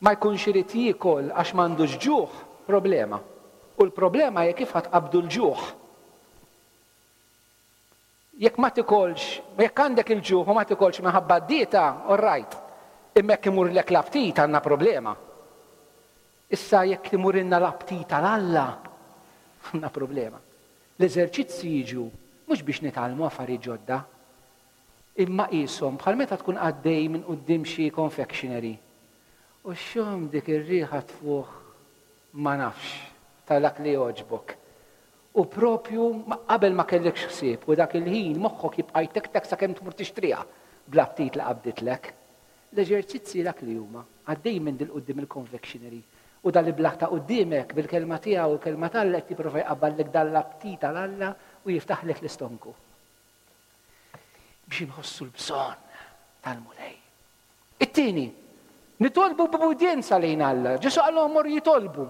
ma jkunx irid jiekol għax m'għandux ġuħ, problema. U l-problema hija kif ħatqabdu l-ġuħ. Jekk ma tikolx, jekk għandek il-ġuħ u ma tikolx minħabba d-dieta, all right. Imma jekk imurlek l-aptit għandna problema. Issa jekk imurilna l-aptit għal Alla, għandna problema. L-eżerċizzi jiġu mhux biex nitgħallmu affarijiet ġodda, imma qishom bħal meta tkun għaddej minn quddiem xi confectionery. U xxomm dik ir-riħa tfuħ ma nafx ta' dak li jogħġbok. U propju qabel ma kellekx ħsieb u dak il-ħin moħħok jibqa' jtektek sakemm tmur tixtriha bl-aptit li qabditlek. L-eżerċizzi dak li huma għaddej minn dil quddiem il-confectionery u dal iblaħ ta' quddiemek bil-kelma tiegħu u l-kelma t'Alla qed jipprova jqabballek dan l-aptit għal Alla u jiftaħlek l-istonku. Biex inħossu l-bżonn tal-Mulej. It-tieni, nitolbu b'ubbidjenza lejn Alla. Ġesù qalhom morru jitolbu.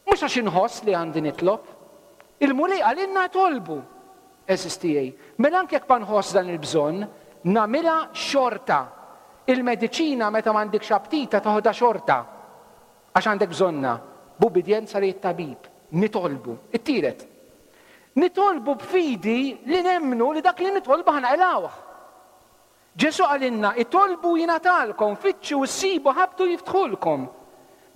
Mhux għax inħoss li għandi nitlob. Il-Mulej qalilna tolbu. Għeżież tiegħi. Mela anke jekk ma nħoss dan il-bżonn, nagħmilha xorta. Il-mediċina meta m'għandekx aptita toħodha xorta. Għax għandek bżonna. B'ubbidjenza lejn it-tabib. Nitolbu. It-tielet. Nitolbu b'fidi li nemmnu li dak li nitolbu ħa naqilgħuh. Ġesù qalilna, itolbu jingħatalkom, fittxu ssibu, ħabtu jiftħulkom.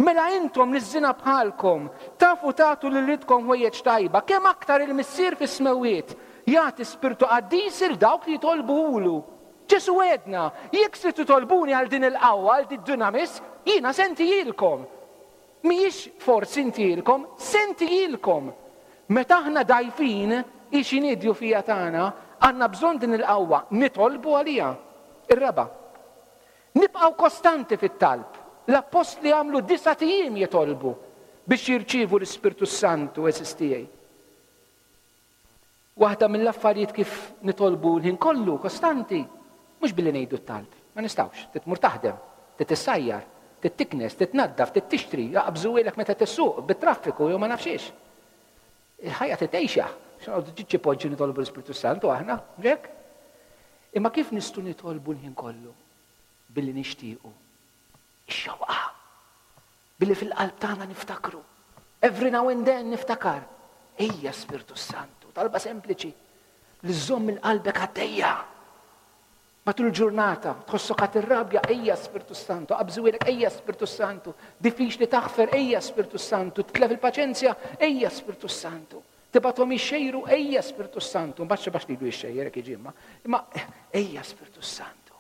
Mela intom li żina bħalkom, tafu tagħtu lil uliedkom ħwejjeġ tajba, kemm aktar il-Missier fis-smewwiet jagħti Spirtu Qaddis il dawk li jitolbuhulu. Ġesù għedna, jekk se titolbuni għal din il-qawwa, għal din dunamis, jiena se ntihilkom. Mhijiex forsi ntihilkom, se ntihilkom. Meta aħna dgħajfin, hi x'inhi d-djufija tagħna, għandna bżonn din il-qawwa, nitolbu għaliha. Ir-raba', nibqgħu kostanti fit-talb. L-appostli għamlu disat ijiem jitolbu biex jirċievu l-Ispirtu Santu, għeżież tiegħi. Waħda mill-affarijiet kif nitolbu l-ħin kollu, kostanti, mhux billi ngħidu t-talb, ma nistgħux, titmur taħdem, titissajjar, tittiknes, titnaddaf, tittixtri, jaqbżu ilek meta tissuq bit-traffiku jew ma nafx. Il-ħajja titgħixha, x'noqogħdu ġiġi poġġi nitolbu l-Ispirtu Santu aħna, hekk? Imma kif nistgħu nitolbu l-ħin kollu? Billi nixtiequ. Ix-xewqa. Billi fil-qalb tagħna niftakru. Every now and then niftakar. Ejja Spirtu Santu, talba sempliċi li żżomm il-qalbek għaddejja. Matul il-ġurnata, tħossok għad irrabja, ejja Spirtu Santu, qabżuilek, ejja Spirtu Santu, diffiċli taħfer, ejja Spirtu Santu, titlef il-paċenzja, ejja Spirtu Santu, tibgħathom jixxejru, ejja Spirtu Santu, mbagħad xi lilu jixxejjer hekk jiġi imma, imma ejja Spirtu Santu.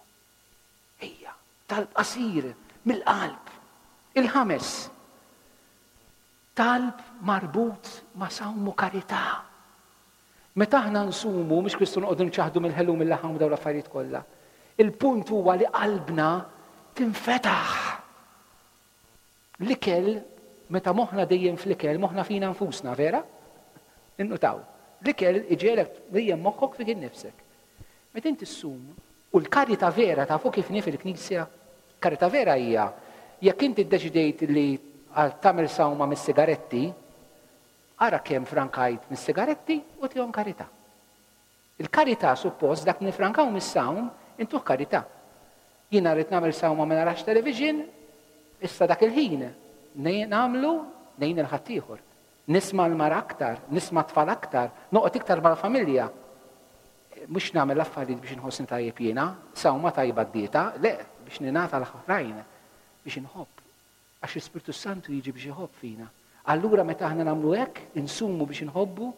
Ejja, talb qasir mill-qalb. Il-ħames, talb marbut ma' sawm u karità. Meta aħna nsumu, mhux Kristu noqogħdu nċaħdu mill-ħelu mill-laħam u dawn l-affarijiet kollha. Il-punt huwa li qalbna tinfetaħ. L-ikel, meta moħħna dejjem fl-ikel, moħħna fina nfusna, vera? Innutaw. L-ikel iġegħlek dejjem moħħok fik innifsek. Meta inti ssum, u l-karità vera tafu kif nif il-Knisja, Karità vera hija jekk inti ddeċidejt li għal tagħmel sawma mis-sigaretti, ara kemm frankajt mis-sigaretti u tihom karità. Il-karità suppost dak nifrankaw mis-sawm intuh karità. Jiena rrid nagħmel sawma ma narax television, issa dak il-ħin nagħmlu ngħin il-ħaddieħor. Nisma' l-mara aktar, nisma' tfal aktar, noqgħod iktar mal-familja. Mhux nagħmel affarijiet biex inħossni tajjeb jiena, sawma tajba d-dieta, le, biex ningħata l-oħrajn, biex inħobb. Għax l-Ispirtu Santu jiġi biex iħobb fina. Allura meta aħna nagħmlu hekk, insumu biex inħobbu,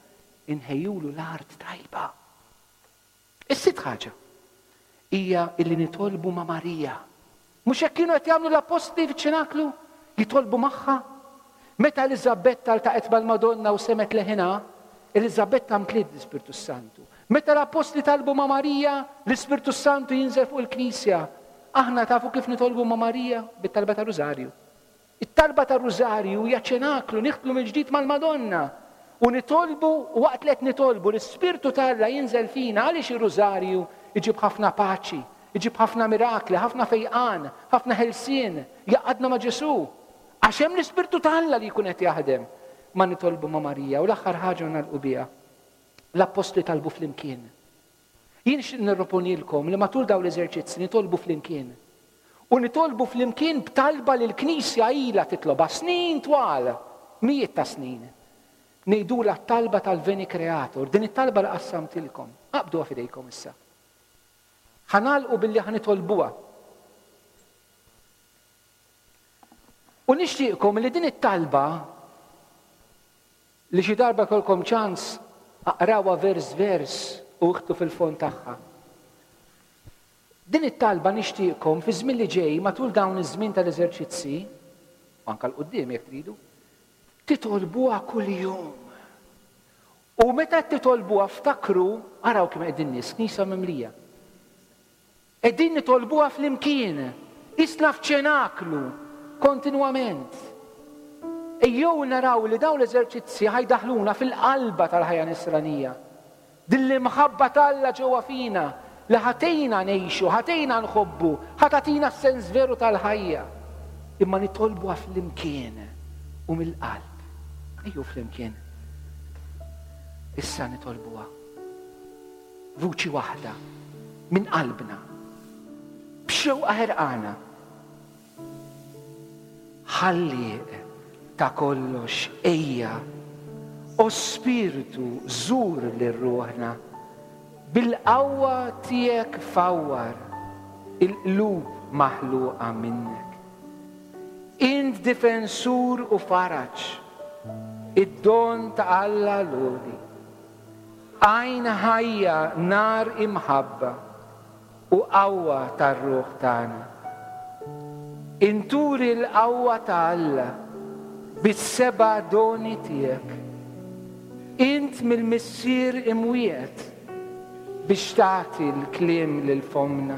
inħejjulu l-art tajba. Is-sitt ħaġa hija illi nitolbu ma' Marija. Mhux hekk kienu qed jagħmlu l-appostli fiċ-ċenaklu? Jitolbu magħha. Meta Eliżabetta ltaqgħet mal-Madonna u semgħet leħinha, Eliżabetta mtliet l-Ispirtu Santu. Meta l-appostli talbu ma' Marija, l-Ispirtu Santu jinżel fuq il-Knisja. Aħna tafu kif nitolbu ma' Marija? Bit-talba ta' Rużarju. It-talba ta' Rużarju hija ċenaklu, nidħlu mill-ġdid mal-Madonna. U nitolbu, u waqt li qed nitolbu, l-Ispirtu ta' Alla jinżel fina. Għaliex ir-Rużarju iġib ħafna paċi, iġib ħafna mirakli, ħafna fejqan, ħafna ħelsien, jgħaqqadna ma' Ġesù. Għax hemm l-Ispirtu ta' Alla li jkun qed jaħdem. Ma nitolbu ma' Marija. U l-aħħar ħaġa nagħlqu biha. L-appostli talbu flimkien. Jien nixtieq nirroponilkom li matul dawn l-eżerċizzi nitolbu flimkien. U nitolbu flimkien b'talba li l-Knisja ilha titlobha snin twal, mijiet ta' snin. Ngħidulha t-talba tal-Veni Creator, din it-talba li qassamtilkom. Aqbduha f'idejkom issa. Ħa nagħlqu billi ħa nitolbuha. U nixtieqkom li din it-talba li xi darba jkollkom ċans aqrawha vers vers u iħtu fil-fond tagħha. Din it-talba nixtieqkom fi żmien li ġej matul dawn iż-żmien tal-eżerċizzi, u anke l-quddiem jekk tridu, titolbuha kuljum. U meta titolbuha ftakru, araw kemm qegħdin nies, knisja mimlija. Qegħdin nitolbuha flimkien, isna f'ċenaklu, kontinwament. Ejjew naraw li dawn l-eżerċizzi ħajdaħluna fil-qalba tal-ħajja nisranija. Din l-imħabba t'Alla ġewwa fina li ħatejna ngħixu, ħatejna nħobbu, ħatatina s-sens veru tal-ħajja. Imma nitolbuha flimkien u mill-qalb. Ejjew flimkien. Issa nitolbuha. Vuċi waħda minn qalbna. B'xewqa ħerqana. Ħallieq ta' kollox ejja, o Spirtu żur lil ruħna, bil-qawwa tiegħek fawwar il-qlub maħluqa minnek. Int difensur u faraġ, id-don ta' Alla l-għoli. Għajn ħajja nar imħabba u qawwa tar-ruħ tagħna. Inturi l-qawwa ta' Alla bis-seba' doni tiegħek. Int mill-Missier imwiegħed biex tagħti l-kliem lil fomna.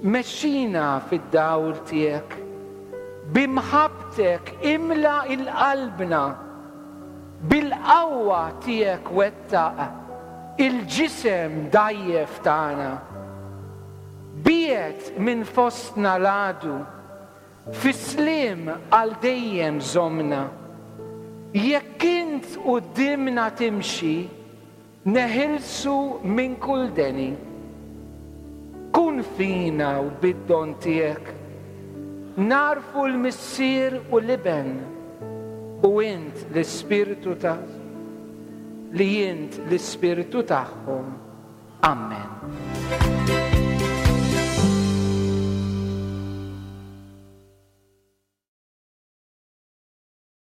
Mexxina fid-dawl tiegħek. Bimħabbtek imla il-qalbna. Bil-qawwa tiegħek wettaq il-ġisem dajjef tagħna. Biegħed minn fostna l-għadu, fis-sliem għal dejjem żommna. Jekk int quddiemna timxi, neħilsu minn kull deni. Kun fina u bid-don tiegħek, narfu l-Missier u l-Iben, u int l-Ispirtu ta' li int l-Ispirtu tagħhom. Amen.